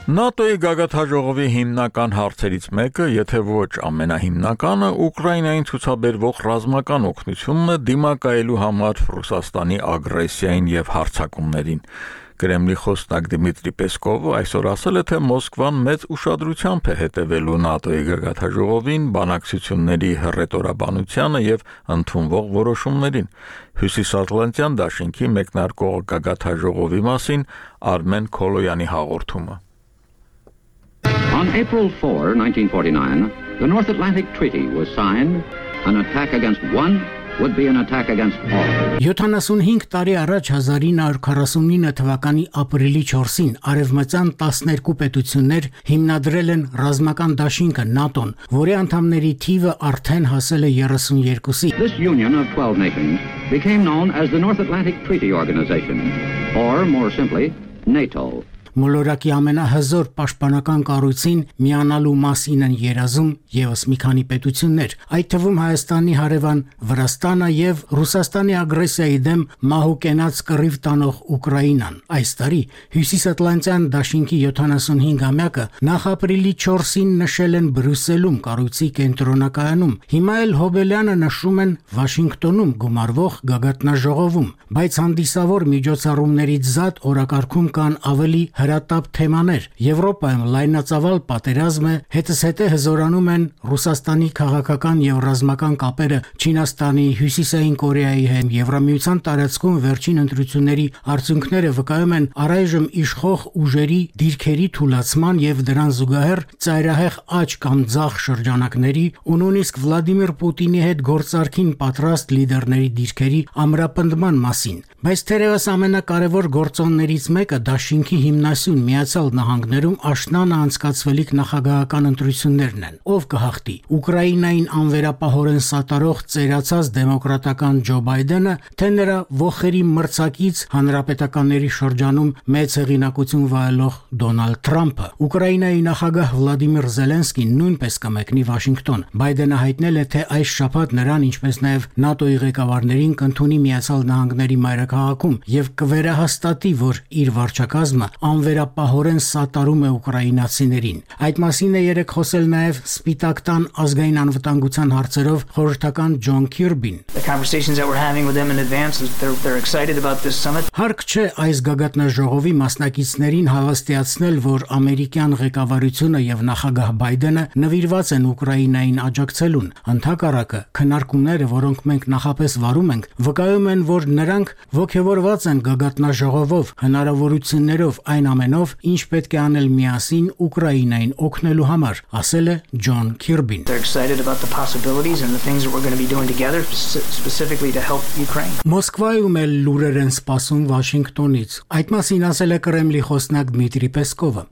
ՆԱՏՕ-ի գագաթնաժողովի հիմնական հարցերից մեկը, եթե ոչ ամենահիմնականը, Ուկրաինային ցուցաբերվող ռազմական օգնությունն է դիմակայելու համար Ռուսաստանի ագրեսիային եւ հարձակումներին։ Կրեմլի խոսնակ Դմիտրի Պեսկովը այսօր ասել է, թե Մոսկվան մեծ ուշադրությամբ է հետևելու ՆԱՏՕ-ի գագաթնաժողովին, բանակցությունների հռետորաբանությանը եւ ընդունվող որոշումներին։ Հյուսիսատլանտյան դաշինքի մեկնարկող գագաթնաժողովի մասին Արմեն Քոլոյանի հաղորդումը։ On April 4, 1949, the North Atlantic Treaty was signed. An attack against one would be an attack against all. 75 տարի առաջ 1949 թվականի ապրիլի 4-ին արևմտյան 12 պետություններ հիմնադրել են ռազմական դաշինքը ՆԱՏՕ-ն, որի անդամների թիվը արդեն հասել է 32-ի։ This union of 12 nations became known as the North Atlantic Treaty Organization, or more simply, NATO. Մոլորակի ամենահզոր պաշտպանական կառույցին միանալու մասին են երազում եւս մի քանի պետություններ, այդ թվում Հայաստանի հարևան Վրաստանը եւ Ռուսաստանի ագրեսիայի դեմ մահու կենաց կռիվ տանող Ուկրաինան։ Այս տարի Հյուսիսատլանտյան դաշինքի 75-ամյակը նախ ապրիլի 4-ին նշել են Բրյուսելում կառույցի կենտրոնակայանում։ Հիմա էլ Հոբելյանը նշում են Վաշինգտոնում գումարվող գագաթնաժողովում, բայց հանդիսավոր միջոցառումներից զատ օրակարգում կան ավելի հրատապ թեմաներ։ Եվրոպայում լայնածավալ պատերազմ է, հետզհետե հզորանում են Ռուսաստանի քաղաքական եւ ռազմական կապերը Չինաստանի, Հյուսիսային Կորեայի հետ։ Եվրամիության տարածքում վերջին ընտրությունների արդյունքները վկայում են առայժմ իշխող ուժերի դիրքերի թուլացման եւ դրան զուգահեռ ծայրահեղ աճ կամ ձախ շրջանակների ու նույնիսկ Վլադիմիր Պուտինի հետ գործարքին պատրաստ լիդերների դիրքերի ամրապնդման մասին։ Բայց թերևս ամենակարևոր գործոններից մեկը դաշինքի հիմնասյուն Միացյալ Նահանգներում աշնանը անցկացվելիք նախագահական ընտրություններն են։ Ով կհաղթի՝ Ուկրաինային անվերապահորեն սատարող ծերացած դեմոկրատական Ջո Բայդենը, թե նրա ոխերի մրցակից հանրապետականների շրջանում մեծ հեղինակություն վայելող Դոնալդ Թրամփը։ Ուկրաինայի նախագահ Վլադիմիր Զելենսկին նույնպես կմեկնի Վաշինգտոն։ Բայդենը հայտնել է, թե այս շաբաթ նրան, ինչպես նաև ՆԱՏՕ-ի ղեկավարներին կընդունի Միացյալ Նահանգների մայրաքաղաքում եւ կվերահաստատի, որ իր վարչակազմը անվերապահորեն սատարում է ուկրաինացիներին։ Այդ մասին է երեկ խոսել նաև Սպիտակ տան ազգային անվտանգության հարցերով խորհրդական Ջոն Քիրբին։ Հարկ չէ այս գագաթնաժողովի մասնակիցներին հավաստիացնել, որ ամերիկյան ղեկավարությունը եւ նախագահ Բայդենը նվիրված են Ուկրաինային աջակցելուն։ Ընդհակառակը, քննարկումները, որոնք մենք նախապես վարում ենք, վկայում են, որ նրանք ողջավորված են գագաթնաժողովով, հնարավորություններով, այն ամենով, ինչ պետք է անել միասին Ուկրաինային օգնելու համար, ասել է Ջոն Քիրբին։ Մոսկվայում էլ լուրեր են սպասում Վաշինգտոնից։ Այդ մասին ասել է Կրեմլի խոսնակ Դմիտրի Պեսկովը։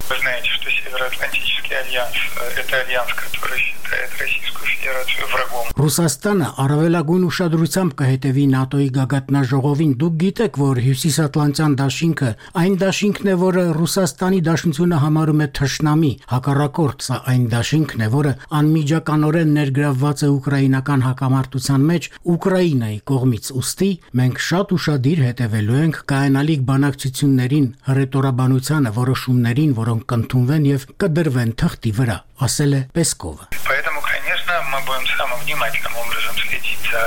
Ռուսաստանը առավելագույն ուշադրությամբ կհետևի ՆԱՏՕ-ի գագաթնաժողովին։ Դուք գիտեք, որ Հյուսիսատլանտյան դաշինքը այն դաշինքն է, որը Ռուսաստանի Դաշնությունը համարում է թշնամի, հակառակորդ, սա այն դաշինքն է, որը անմիջականորեն ներգրավված է ուկրաինական հակամարտության մեջ Ուկրաինայի կողմից։ Ուստի մենք շատ ուշադիր հետևելու ենք կայանալիք բանակցություններին, հռետորաբանությանը, որոշումներին, որոնք կընդունվեն եւ կդրվեն թղթի վրա, ասել է Պեսկովը։ Мы будем самым внимательным образом следить за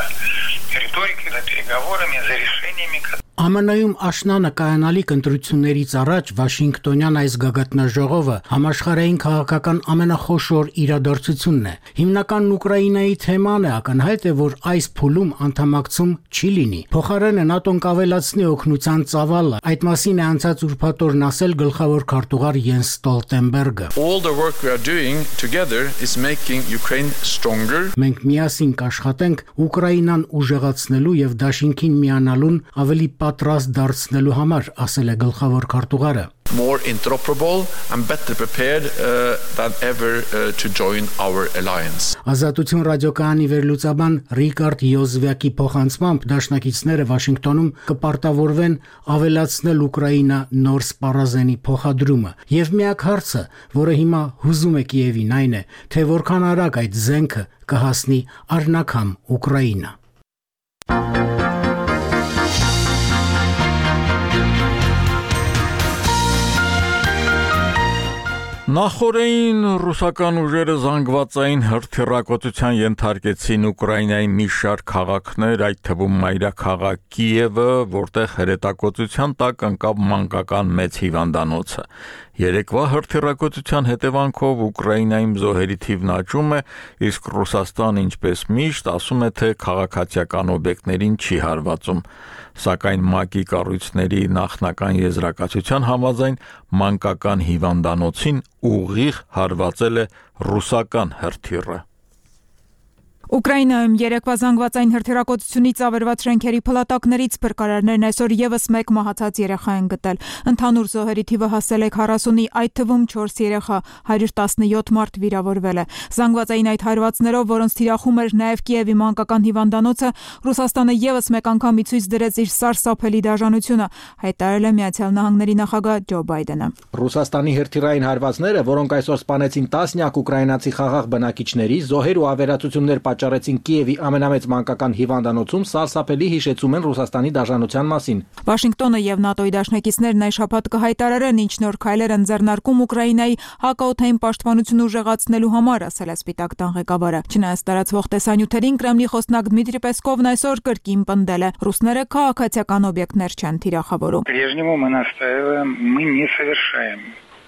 риторикой, за переговорами, за решениями. ԱՄՆ-ում աշնանը կայանալիք ընտրություններից առաջ Վաշինգտոնյան այս գագաթնաժողովը համաշխարհային քաղաքական ամենախոշոր իրադարձությունն է։ Հիմնական Ուկրաինայի թեման է, ակնհայտ է, որ այս փուլում անդամակցում չի լինի։ Փոխարենը ՆԱՏՕ-ն կավելացնի օգնության ծավալը։ Այդ մասին է անցած ուրբաթօրն ասել գլխավոր քարտուղար Յենս Ստոլտենբերգը։ All the work we are doing together is making Ukraine stronger. Մենք միասին կաշխատենք Ուկրաինան ուժեղացնելու եւ դաշինքին միանալուն ավելի պատրաստ դարձնելու համար, ասել է գլխավոր քարտուղարը։ More interoperable and better prepared than ever to join our alliance. Ազատություն ռադիոկայանի վերլուծաբան Ռիկարդ Յոզվյակի փոխանցմամբ դաշնակիցները Վաշինգտոնում կպարտավորվեն ավելացնել Ուկրաինա նոր սպառազենի փոխադրումը։ Եվ միակ հարցը, որը հիմա հուզում է Կիևին, այն է, թե որքան արագ այդ զենքը կհասնի առնաքամ Ուկրաինա։ Նախորդին ռուսական ուժերը զանգվածային հրթիռակոծության ենթարկեցին Ուկրաինայի մի շարք քաղաքներ, այդ թվում մայրաքաղաք Կիևը, որտեղ հրետակոծության տակ ընկավ մանկական մեծ հիվանդանոցը։ Երեկվա հրթիռակոծության հետևանքով Ուկրաինայում զոհերի թիվն աճում է, իսկ Ռուսաստանը, ինչպես միշտ, ասում է, թե քաղաքացիական օբյեկտներին չի հարվածում։ Սակայն ՄԱԿ-ի կառույցների նախնական եզրակացության համաձայն մանկական հիվանդանոցին ուղիղ հարվածել է ռուսական հրթիռը։ Ուկրաինայում երեկվա զանգվածային հրթիռակոծությունից ավերված շենքերի փլատակներից փրկարարներն այսօր եւս մեկ մահացած երեխա են գտել։ Ընդհանուր զոհերի թիվը հասել է 40-ի, այդ թվում 4 երեխա, 117 մարդ վիրավորվել է։ Զանգվածային այդ հարվածներով, որոնց թիրախում էր նաեւ Կիևի մանկական հիվանդանոցը, Ռուսաստանը եւս մեկ անգամ ի ցույց դրեց իր սարսափելի դաժանությունը, հայտարարել է Միացյալ Նահանգների նախագահ Ջո Բայդենը։ Ռուսաստանի հրթիռային հարվածները, որոնք այսօր սպանեցին տասնյակ ուկրաինացի խաղաղ բնակիչների, զոհեր ու ավերածություններ պատճառեցին Կիևի ամենամեծ մանկական հիվանդանոցում, սարսափելի հիշեցում են Ռուսաստանի դաշնության մասին։ Վաշինգտոնը եւ ՆԱՏՕ-ի դաշնակիցներն այս շաբաթ կհայտարարեն ինչ նոր քայլեր են ձեռնարկում Ուկրաինայի հակաօդային պաշտպանությունը ուժեղացնելու համար, ասել է Սպիտակ տան ղեկավարը։ Չնայած տարածվող տեսանյութերին Կրեմլի խոսնակ Դմիտրի Պեսկովն այսօր կրկին պնդել է. ռուսները քաղաքացիական օբյեկտներ չեն թիրախավորում։ По-прежнему мы настаиваем, мы не совершаем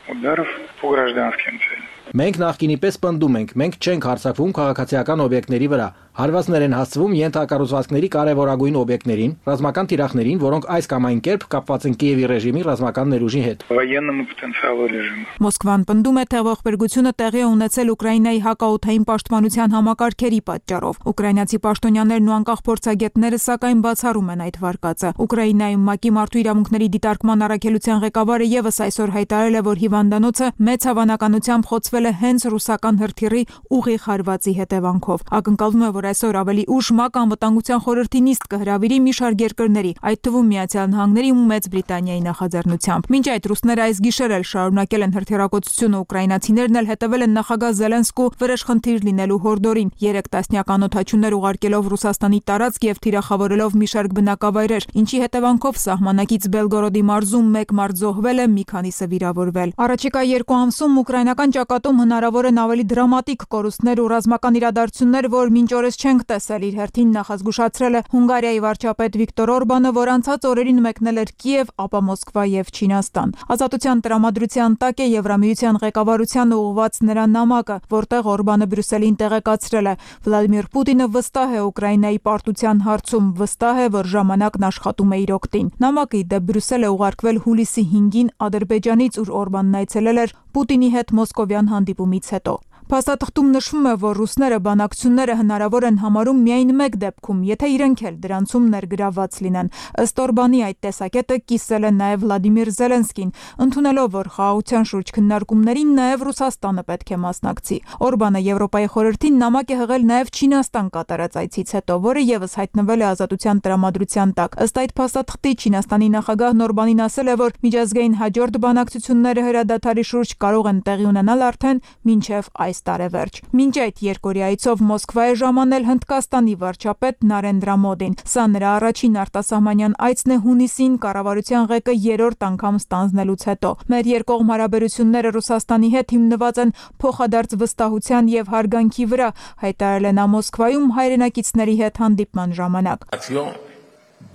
ударов по гражданским целям. Մենք նախկինի պես պնդում ենք, մենք չենք հարձակվում քաղաքացիական օբյեկտների вրա, հարվածներ են հասցվում ենթակառուցվածքների կարևորագույն օբյեկտներին, ռազմական թիրախներին, որոնք այս կամ այն կերպ կապված են Կիևի ռեժիմի ռազմական ներուժի հետ։ Военному потенциалу режима. Մոսկվան պնդում է, թե ողբերգությունը տեղի է ունեցել Ուկրաինայի հակաօդային պաշտպանության համակարգերի պատճառով։ Ուկրաինացի պաշտոնյաներն ու անկախ փորձագետները սակայն բացառում են այդ վարկածը։ Ուկրաինայում ՄԱԿ-ի մարդու իրավունքների դիտարկման առաքելության ղեկավարը եւս այսօր հայտարարել է, որ հիվանդանոցը մեծ հավանականությամբ խոցվել է հենց ռուսական հրթիռի ուղիղ հարվածի հետևանքով։ Ակնկալվում է, որ այսօր ավելի ուշ ՄԱԿ անվտանգության խորհրդի նիստ կհրավիրի մի շարք երկրների, այդ թվում Միացյալ Նահանգների ու Մեծ Բրիտանիայի նախաձեռնությամբ։ Մինչ այդ ռուսները այս գիշեր էլ շարունակել են հրթիռակոծությունը, ուկրաինացիներն էլ հետևել են նախագահ Զելենսկու վրեժխնդիր լինելու հորդորին, 3 տասնյակ անօդաչուներ ուղարկելով Ռուսաստանի տարածք եւ թիրախավորելով մի շարք բնակավայրեր, ինչի հետևանքով սահմանակից Բելգորոդի մարզում 1 մարդ զոհվել է, մի քանիսը վիրավորվել։ Առաջիկա 2 ամսում ուկրաինական ճակատում հնարավոր են ավելի դրամատիկ կորուստներ ու ռազմական իրադարձություններ, որ մինչ օրս չենք տեսել, իր հերթին նախազգուշացրել է Հունգարիայի վարչապետ Վիկտոր Օրբանը, որ անցած օրերին մեկնել էր Կիև, ապա Մոսկվա եւ Չինաստան։ Ազատության տրամադրության տակ է Եվրամիության ղեկավարությանը ուղղված նրա նամակը, որտեղ Օրբանը Բրյուսելին տեղեկացրել է. Վլադիմիր Պուտինը վստահ է Ուկրաինայի պարտության հարցում, վստահ է, որ ժամանակն աշխատում է իր օգտին։ Նամակը ի դեպ Բրյուսել է ուղարկվել հուլիսի 5-ին Ադրբեջանից, ուր Օրբանն այցելել էր Պուտինի հետ մոսկովյան հանդիպումից հետո։ Փաստաթղթում նշվում է, որ ռուսները բանակցությունները հնարավոր են համարում միայն մեկ դեպքում, եթե իրենք էլ դրանցում ներգրավված լինեն։ Ըստ Օրբանի այդ տեսակետը կիսել է նաև Վլադիմիր Զելենսկին, ընդունելով, որ խաղաղության շուրջ քննարկումներին նաև Ռուսաստանը պետք է մասնակցի։ Օրբանը Եվրոպայի խորհրդին նամակ է հղել նաև Չինաստան կատարած այցից հետո, որը եւս հայտնվել է ազատության տրամադրության տակ։ Ըստ այդ փաստաթղթի Չինաստանի նախագահն Օրբանին ասել է, որ միջազգային հաջորդ բանակցությունները հրադադարի շուրջ կարող են տեղի ունենալ արդեն մինչև այս տարեվերջ։ Մինչ այդ երկօրյա այցով Մոսկվա է ժամանել Հնդկաստանի վարչապետ Նարենդրա Մոդին։ Սա նրա առաջին արտասահմանյան այցն է հունիսին կառավարության ղեկը 3-րդ անգամ ստանձնելուց հետո։ Մեր երկկողմ հարաբերությունները Ռուսաստանի հետ հիմնված են փոխադարձ վստահության եւ հարգանքի վրա, հայտարարել է նա Մոսկվայում հայրենակիցների հետ հանդիպման ժամանակ։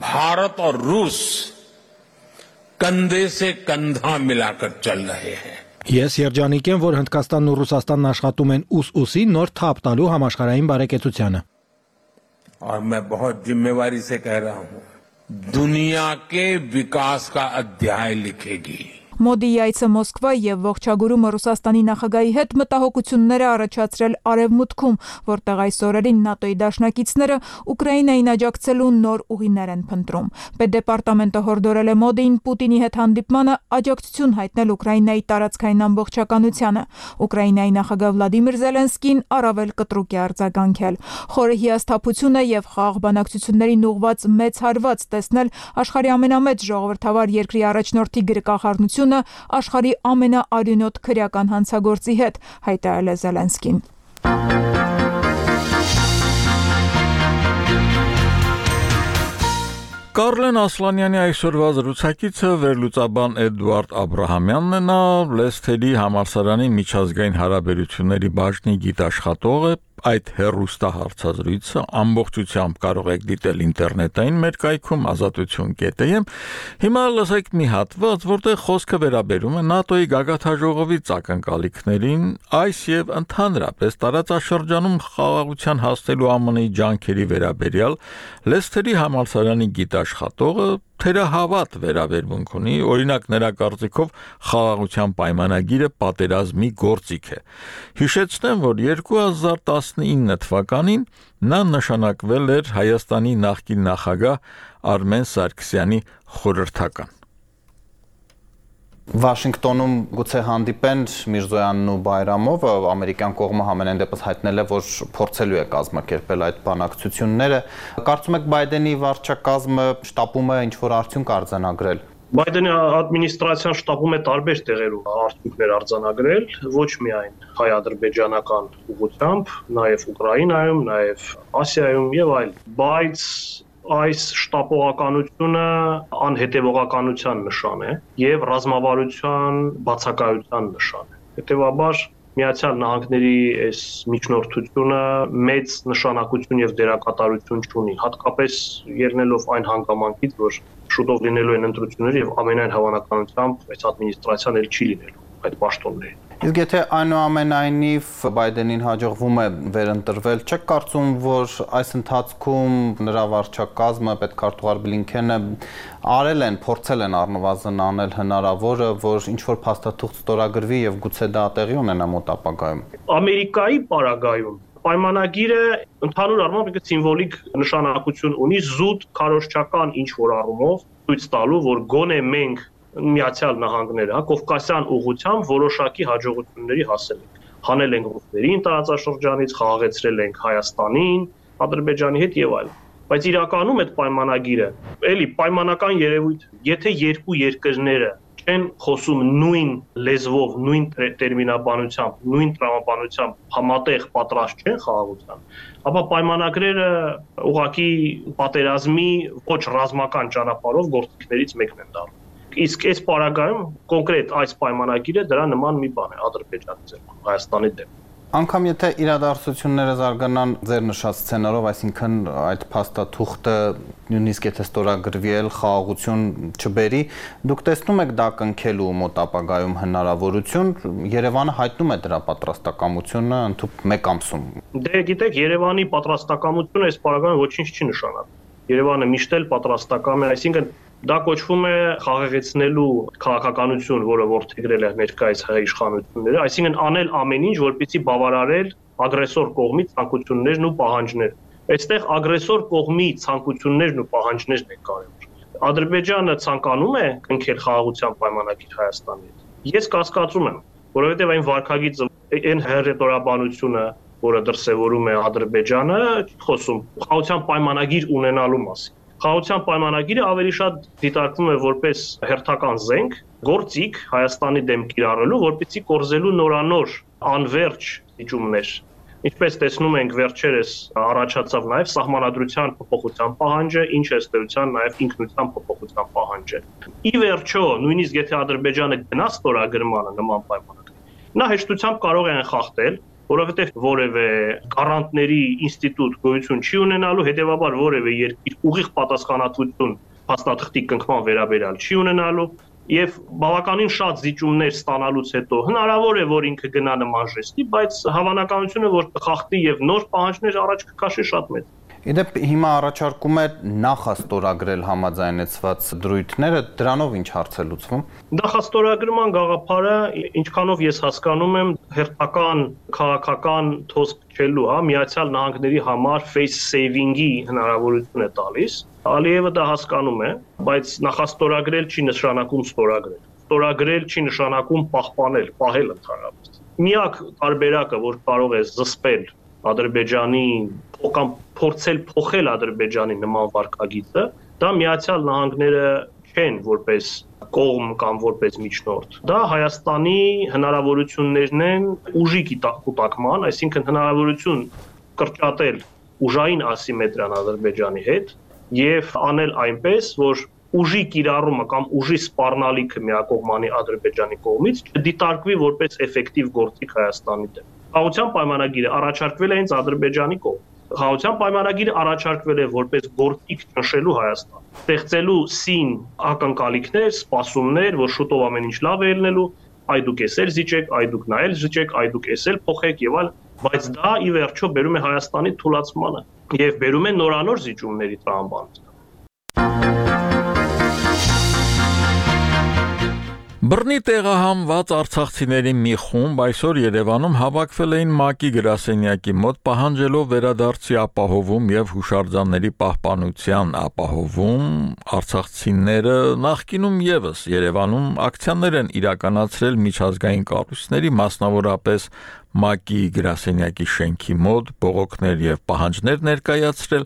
भारत और रूस कंधे से कंधा मिलाकर चल रहे हैं। Ես երջանիկ եմ, որ Հնդկաստանն ու Ռուսաստանն աշխատում են ուս-ուսի նոր թափ տալու համաշխարհային բարեկեցությանը։ और मैं बहुत जिम्मेवारी से कह रहा हूं, दुनिया के विकास का अध्याय लिखेगी। Մոդիի այցը Մոսկվա եւ ողջագուրումը Ռուսաստանի նախագահի հետ մտահոգություններ է առաջացրել Արևմուտքում, որտեղ այս օրերին ՆԱՏՕ-ի դաշնակիցները Ուկրաինային աջակցելու նոր ուղիներ են փնտրում։ Պետդեպարտամենտը հորդորել է Մոդիին Պուտինի հետ հանդիպմանը աջակցություն հայտնել Ուկրաինայի տարածքային ամբողջականությանը։ Ուկրաինայի նախագահ Վլադիմիր Զելենսկին առավել կտրուկ է արձագանքել։ Խորը հիասթափություն է եւ խաղաղ բանակցություններին ուղղված մեծ հարված տեսնել աշխարհի ամենամեծ ժողովրդավար երկրի առաջնորդի գրկախառնությունը աշխարհի ամենաարյունոտ քրեական հանցագործի հետ, հայտարարել է Զելենսկին։ Կարլեն Ասլանյանի այսօրվա զրուցակիցը վերլուծաբան Էդուարդ Աբրահամյանն է, նա Լեսթերի համալսարանի միջազգային հարաբերությունների բաժնի գիտաշխատող է, այդ հեռուստահարցազրույցը ամբողջությամբ կարող եք դիտել ինտերնետային մեր կայքում azatutun.am։ Հիմա լսեք մի հատված, որտեղ խոսքը վերաբերում է ՆԱՏՕ-ի գագաթնաժողովի ակնկալիքներին, այս եւ ընդհանրապես տարածաշրջանում խաղաղության հասնելու ԱՄՆ-ի ջանքերի վերաբերյալ Լեսթերի համալսարանի գիտաշխատողը թերահավատ վերաբերմունք ունի, օրինակ նրա կարծիքով խաղաղության պայմանագիրը պատերազմի գործիք է։ Հիշեցնեմ, որ 2019 թվականին նա նշանակվել էր Հայաստանի նախկին նախագահ Արմեն Սարգսյանի խորհրդական։ Վաշինգտոնում գուցե հանդիպեն Միրզոյանն ու Բայրամովը, ամերիկյան կողմը համենայն դեպս հայտնել է, որ փորձելու է կազմակերպել այդ բանակցությունները։ Կարծում եք Բայդենի վարչակազմը շտապում է ինչ-որ արդյունք արձանագրել։ Բայդենի ադմինիստրացիան շտապում է տարբեր տեղերում արդյունքներ արձանագրել, ոչ միայն հայ-ադրբեջանական ուղղությամբ, նաև Ուկրաինայում, նաև Ասիայում եւ այլ, բայց այս շտապողականությունը անհետևողականության նշան է եւ ռազմավարության բացակայության նշան է։ Հետևաբար Միացյալ Նահանգների այս միջնորդությունը մեծ նշանակություն եւ դերակատարություն չունի, հատկապես ելնելով այն հանգամանքից, որ շուտով լինելու են ընտրություններ եւ ամենայն հավանականությամբ այս ադմինիստրացիան էլ չի լինելու այդ պաշտոններին։ Իսկ եթե այնուամենայնիվ Բայդենին հաջողվում է վերընտրվել, չեք կարծում, որ այս ընթացքում նրա վարչակազմը, պետքարտուղար Բլինքենը փորձել են առնվազն անել հնարավորը, որ ինչ-որ փաստաթուղթ ստորագրվի եւ գուցե դա տեղի ունենա մոտ ապագայում։ Ամերիկայի պարագայում պայմանագիրը ընդհանուր առմամբ սիմվոլիկ նշանակություն ունի զուտ քարոզչական ինչ-որ առումով ցույց տալու, որ գոնե մենք Միացյալ Նահանգները, Կովկասյան ուղղությամբ որոշակի հաջողությունների հասել ենք։ Հանել ենք ռուսներին տարածաշրջանից, խաղաղեցրել ենք Հայաստանին, Ադրբեջանի հետ եւ այլն։ Բայց իրականում այդ պայմանագիրը էլի պայմանական երևույթ, եթե երկու երկրները չեն խոսում նույն լեզվով, նույն տերմինաբանությամբ, նույն տրամաբանությամբ համատեղ պատրաստ չեն խաղաղության, ապա պայմանագրերը ուղղակի պատերազմի ոչ ռազմական ճանապարհով գործիքներից մեկն են դառնում։ Իսկ այս պարագայում կոնկրետ այս պայմանագիրը դրա նման մի բան է Ադրբեջանի ձեռքում, Հայաստանի դեմ։ Անկամ եթե իրադարձությունները զարգանան ձեր նշած սցենարով, այսինքն այդ փաստաթուղթը նույնիսկ եթե ստորագրվի էլ խաղաղություն չբերի, դուք տեսնում եք դա կնքելու մոտ ապագայում հնարավորություն, Երևանը հայտնում է դրա պատրաստակամությունը ընդհանուր մեկ ամսում։ Դե գիտեք, Երևանի պատրաստակամությունը այս պարագայում ոչինչ չի նշանակում։ Երևանը միշտ էլ պատրաստակամ է, այսինքն դա կոչվում է խաղաղեցնելու քաղաքականություն, որը որդեգրել է ներկայիս հայ իշխանությունները, այսինքն անել ամեն ինչ, որպեսզի բավարարել ագրեսոր կողմի ցանկություններն ու պահանջները։ Այստեղ ագրեսոր կողմի ցանկություններն ու պահանջներն են կարևոր։ Ադրբեջանը ցանկանում է կնքել խաղաղության պայմանագիր Հայաստանի հետ։ Ես կասկածում եմ, որովհետև այն վարկագիծը, այն հերետորաբանությունը, որը դրսևորում է Ադրբեջանը, խոսում խաղաղության պայմանագիր ունենալու մասին։ Խաղաղության պայմանագիրը ավելի շատ դիտարկվում է որպես հերթական զենք, գործիք Հայաստանի դեմ կիրառելու, որպեսզի կորզելու նորանոր անվերջ դիճումներ։ Ինչպես տեսնում ենք, վերջերս առաջացավ նաև սահմանադրության փոփոխության պահանջը, ինչ ըստեյության նաև ինքնության փոփոխության պահանջը։ Ի վերջո, նույնիսկ եթե Ադրբեջանը գնա ստորագրմանը նման պայմանագրի, նա հեշտությամբ կարող է անխախտել, որովհետև որևէ գարանտների ինստիտուտ գոյություն չի ունենալու, հետևաբար որևէ երկիր ուղիղ պատասխանատվություն փաստաթղթի կնքման վերաբերյալ չի ունենալու եւ բավականին շատ զիջումներ ստանալուց հետո հնարավոր է որ ինքը գնա նման ժեստի, բայց հավանականությունը որ կխախտի եւ նոր պահանջներ առաջ կքաշի շատ մեծ։ Իդեպ հիմա առաջարկում է նախաստորագրել համաձայնեցված դրույթները, դրանով ինչ հարց է լուծվում։ Նախաստորագրման գաղափարը, ինչքանով ես հասկանում եմ, հերթական քաղաքական թոսկ չելու, Միացյալ Նահանգների համար face saving-ի հնարավորություն է տալիս։ Ալիևը դա հասկանում է, բայց նախաստորագրել չի նշանակում ստորագրել։ Ստորագրել չի նշանակում պահպանել, պահել ընդհանրապես։ Միակ տարբերակը, որ կարող է զսպել Ադրբեջանի կամ փորձել փոխել Ադրբեջանի նման վարկագիծը, դա Միացյալ Նահանգները չեն որպես կողմ կամ որպես միջնորդ։ Դա Հայաստանի հնարավորություններն են ուժի կուտակման, այսինքն հնարավորություն կրճատել ուժային ասիմետրիան Ադրբեջանի հետ եւ անել այնպես, որ ուժի կիրառումը կամ ուժի սպառնալիքը միակողմանի Ադրբեջանի կողմից չդիտարկվի որպես էֆեկտիվ գործիք Հայաստանի դեմ։ Խաղաղության պայմանագիրը առաջարկվել է հենց Ադրբեջանի կողմից։ Խաղաղության պայմանագիրը առաջարկվել է որպես գործիք ճնշելու Հայաստան, ստեղծելու սին ակնկալիքներ, սպասումներ, որ շուտով ամեն ինչ լավ է ելնելու, այ դուք էս էլ զիջեք, այ դուք նա էլ զիջեք, այ դուք էս էլ փոխեք եւ այլ, բայց դա ի վերջո բերում է Հայաստանի թուլացմանը եւ բերում է նորանոր զիջումների տրամաբանություն։ Բռնի տեղահանված արցախցիների մի խումբ այսօր Երևանում հավաքվել էին ՄԱԿ-ի գրասենյակի մոտ պահանջելով վերադարձի ապահովում եւ հուշարձանների պահպանության ապահովում։ Արցախցիները նախկինում եւս Երևանում ակցիաներ են իրականացրել միջազգային կառույցների, մասնավորապես ՄԱԿ-ի գրասենյակի շենքի մոտ բողոքներ եւ պահանջներ ներկայացրել,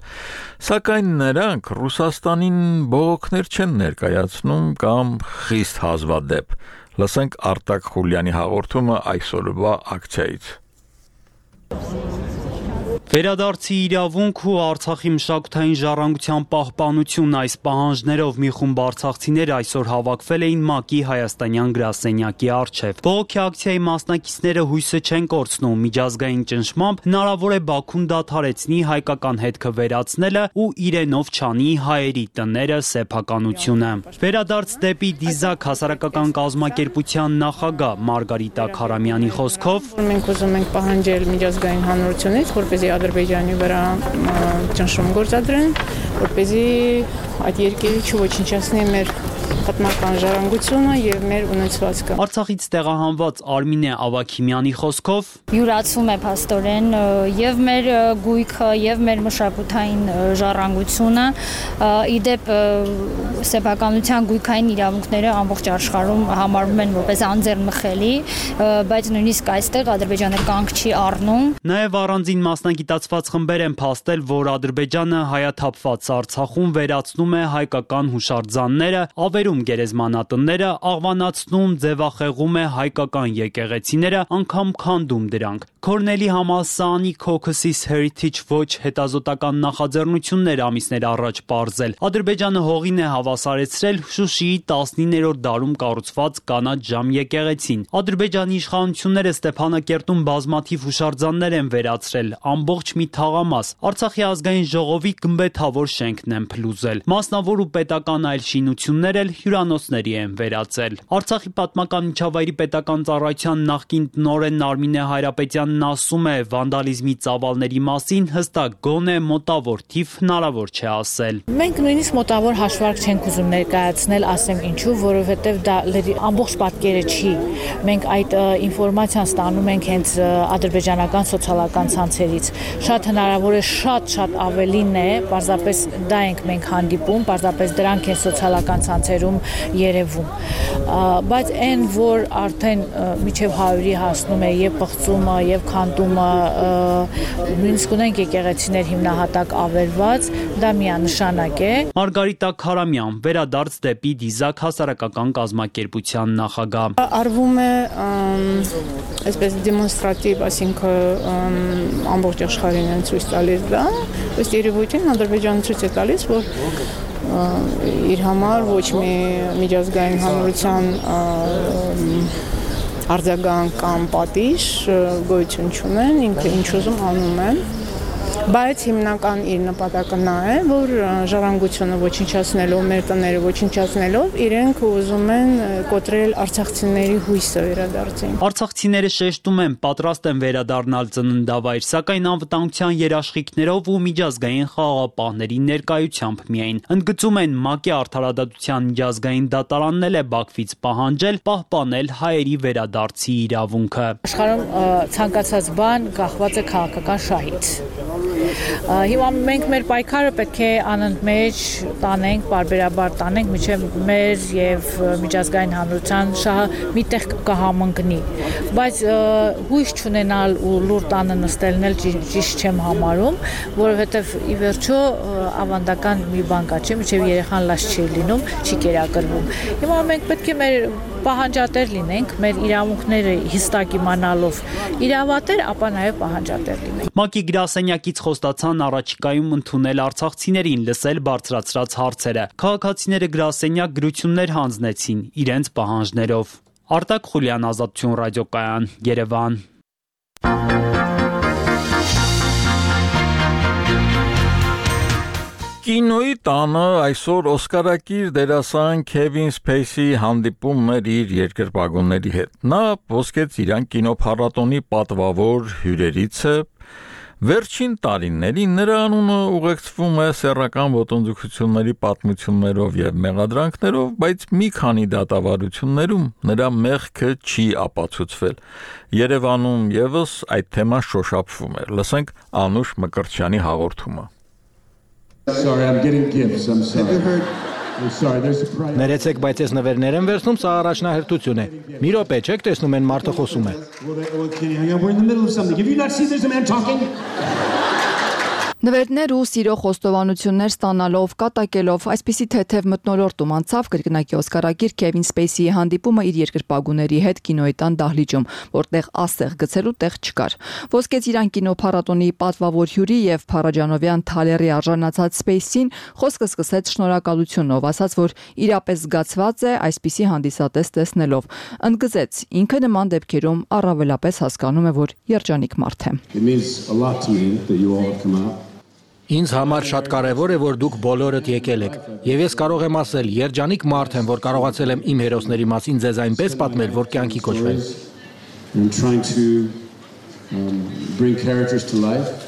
սակայն նրանք Ռուսաստանին բողոքներ չեն ներկայացնում կամ խիստ հազվադեպ։ Լսենք Արտակ Խուլյանի հաղորդումը այսօրվա ակցիայից։ Վերադարձի իրավունք ու Արցախի մշակութային ժառանգության պահպանություն այս պահանջներով մի խումբ արցախցիներ այսօր հավաքվել էին ՄԱԿ-ի հայաստանյան գրասենյակի առջև։ Բողոքի ակցիայի մասնակիցները հույսը չեն կորցնում, միջազգային ճնշմամբ հնարավոր է Բաքուն դադարեցնի հայկական հետքը վերացնելը ու իրենով չանի հայերի տները սեփականությունը։ Վերադարձ դեպի Դիզակ հասարակական կազմակերպության նախագահ Մարգարիտա Քարամյանի խոսքով մենք ուզում ենք պահանջել միջազգային հանրությունից, որպեսզի Ադրբեջանի վրա ճնշում գործադրեն, որպեսզի այդ երկիրը չոչնչացնի մեր պատմական ժառանգությունը եւ մեր ունեցվածքը։ Արցախից տեղահանված Արմինե Ավագիմյանի խոսքով յուրացում է փաստորեն եւ մեր գույքը եւ մեր մշակութային ժառանգությունը, իդեպ սեփականության գույքային իրավունքները ամբողջ աշխարհում համարվում են որպես անձեռնմխելի, բայց նույնիսկ այստեղ Ադրբեջանը կանգ չի առնում։ Նաեւ առանձին մասնագիտացված խմբեր են փաստել, որ Ադրբեջանը հայաթափված Արցախում վերացնում է հայկական հուշարձանները, ավերում գերեզմանատները, աղվանացնում, ձևախեղում է հայկական եկեղեցիները, անգամ քանդում դրանք։ Քորնելի համալսարանի Caucasus Heritage Watch հետազոտական նախաձեռնություններ ամիսներ առաջ պարզել։ Ադրբեջանը հողին է հավասարեցրել Շուշիի 19-րդ դարում կառուցված կանաչ ժամ եկեղեցին։ Ադրբեջանի իշխանությունները Ստեփանակերտում բազմաթիվ հուշարձաններ են վերացրել, ամբողջ մի թաղամաս։ Արցախի ազգային ժողովի գմբեթավոր շենքն են փլուզել։ Մասնավոր ու պետական այլ շինություններ էլ հյուրանոցների են վերածել։ Արցախի պատմական միջավայրի պետական ծառայության նախկին տնօրեն Արմինե Հայրապետյանն ասում է, վանդալիզմի ծավալների մասին հստակ գոնե մոտավոր թիվ հնարավոր չէ ասել։ Մենք նույնիսկ մոտավոր հաշվարկ չենք ուզում ներկայացնել, ասեմ ինչու, որովհետև դա ամբողջ պատկերը չի։ Մենք այդ ինֆորմացիան ստանում ենք հենց ադրբեջանական սոցիալական ցանցերից։ Շատ հնարավոր է շատ ավելին է, պարզապես դա ենք մենք հանդիպում, պարզապես դրանք են սոցիալական ցանցերում երևում։ Բայց այն, որ արդեն միջև 100-ի հասնում է եւ պղծումը եւ քանդումը, նույնիսկ ունենք եկեղեցիներ հիմնահատակ ավերված, դա միանշանակ է։ Մարգարիտա Քարամյան, վերադարձ դեպի Դիզակ հասարակական կազմակերպության նախագահ։ Արվում է այսպես դեմոնստրատիվ, այսինքն ամբողջ աշխարհին են ցույց տալիս դա, ըստ երևույթին Ադրբեջանը ցույց է տալիս, որ իր համար ոչ մի միջազգային հանրության արձագանք կամ պատիժ գոյություն չունեն, ինքը ինչ ուզում անում է, բայց հիմնական իր նպատակը նա է, որ ժառանգությունը ոչնչացնելով, մեր տները ոչնչացնելով, իրենք ուզում են կոտրել արցախցիների հույսը վերադարձին։ Արցախցիները շեշտում են, պատրաստ են վերադառնալ ծննդավայր, սակայն անվտանգության երաշխիքներով ու միջազգային խաղաղապահների ներկայությամբ միայն։ Ընդգծում են, ՄԱԿ-ի արդարադատության միջազգային դատարանն էլ է Բաքվից պահանջել պահպանել հայերի վերադարձի իրավունքը։ Աշխարհում ցանկացած բան կախված է քաղաքական շահից։ Հիմա մենք մեր պայքարը պետք է անընդմեջ տանենք, պարբերաբար տանենք, մինչև մեր եւ միջազգային հանրության շահը միտեղ կհամընկնի։ Բայց հույս չունենալ ու լուր տանը նստելն էլ ճիշտ չեմ համարում, որովհետեւ ի վերջո ավանդական մի բան կա, չէ՞, մինչև երեխան լաց չի լինում, չի կերակրվում։ Հիմա մենք պետք է մեր պահանջատեր լինենք, մեր իրավունքները հստակ իմանալով իրավատեր, ապա նաև պահանջատեր լինենք։ ՄԱԿ-ի գրասենյակից խոստացան առաջիկայում ընդունել արցախցիներին, լսել բարձրացրած հարցերը։ Քաղաքացիները գրասենյակ գրություններ հանձնեցին իրենց պահանջներով։ Արտակ Խուլյան, Ազատություն ռադիոկայան, Երևան։ Կինոյի տանը այսօր օսկարակիր դերասան Քևին Սփեյսի հանդիպումն էր իր երկրպագուների հետ։ Նա ոսկեց իրան կինոփառատոնի պատվավոր հյուրերից է։ Վերջին տարիներին նրա անունը ուղեկցվում է սեռական ոտնձգությունների պատմություններով եւ մեղադրանքներով, բայց մի քանի դատավարություններում նրա մեղքը չի ապացուցվել։ Երևանում եւս այդ թեման շոշափվում է։ Լսենք Անուշ Մկրտչյանի հաղորդումը. Sorry, I'm getting gifts. I'm sorry. Ներեցեք, բայց ես նվերներ եմ վերցնում, սա առաջնահերթություն է։ Մի րոպե, չեք տեսնում են մարդը խոսում է։ Նվերներ ու սիրո խոստովանություններ ստանալով, կատակելով, այսպիսի թեթև մթնոլորտում անցավ կրկնակի օսկարագիր Քևին Սպեյսիի հանդիպումը իր երկրպագուների հետ կինոյի տան դահլիճում, որտեղ ասեղ գցելու տեղ չկար։ Ոսկե ծիրան կինոփառատոնի պատվավոր հյուրի եւ փառաջանովյան թալերի արժանացած Սպեյսին խոսքը սկսեց շնորհակալությունով, ասաց, որ իրապես զգացված է այսպիսի հանդիսատես տեսնելով։ Ընդգծեց, ինքը նման դեպքերում առավելապես հասկանում է, որ երջանիկ մարդ է։ Ինձ համար շատ կարևոր է, որ դուք բոլորդ եկել եք, եւ ես կարող եմ ասել, երջանիկ մարդ եմ, որ կարողացել եմ իմ հերոսների մասին ձեզ այնպես պատմել, որ կյանքի կոչվեն։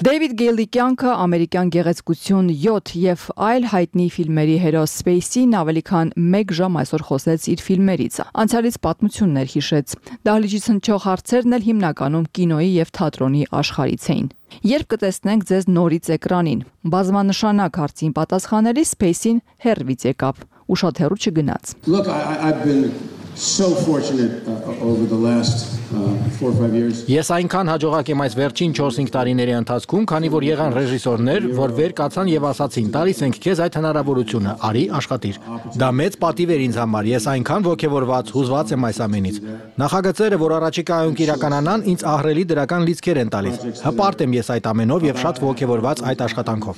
Դեյվիդ Գեյլի կյանքը, ամերիկյան գեղեցկություն 7 եւ այլ հայտնի ֆիլմերի հերոս Սպեյսին ավելի քան 1 ժամ այսօր խոսեց իր ֆիլմերից։ Անցյալից պատմություններ հիշեց։ Դահլիճից հնչող հարցերն էլ հիմնականում կինոյի եւ թատրոնի աշխարհից էին։ Երբ կտեսնենք ձեզ նորից էկրանին, բազմանշանակ հարցին պատասխանելիս Սպեյսին հեռվից եկավ ու շատ հեռու չգնաց։ Ես այնքան հաջողակ եմ այս վերջին 4-5 տարիների ընթացքում, քանի որ եղան ռեժիսորներ, որ վեր կացան եւ ասացին՝ «Տալիս ենք քեզ այդ հնարավորությունը, արի աշխատիր»։ Դա մեծ պատիվ էր ինձ համար, ես այնքան ոգևորված, հուզված եմ այս ամենից։ Նախագծերը, որ առաջիկայում կիրականանան, ինձ ահռելի դրական լիցքեր են տալիս։ Հպարտ եմ ես այդ ամենով եւ շատ ոգևորված այդ աշխատանքով։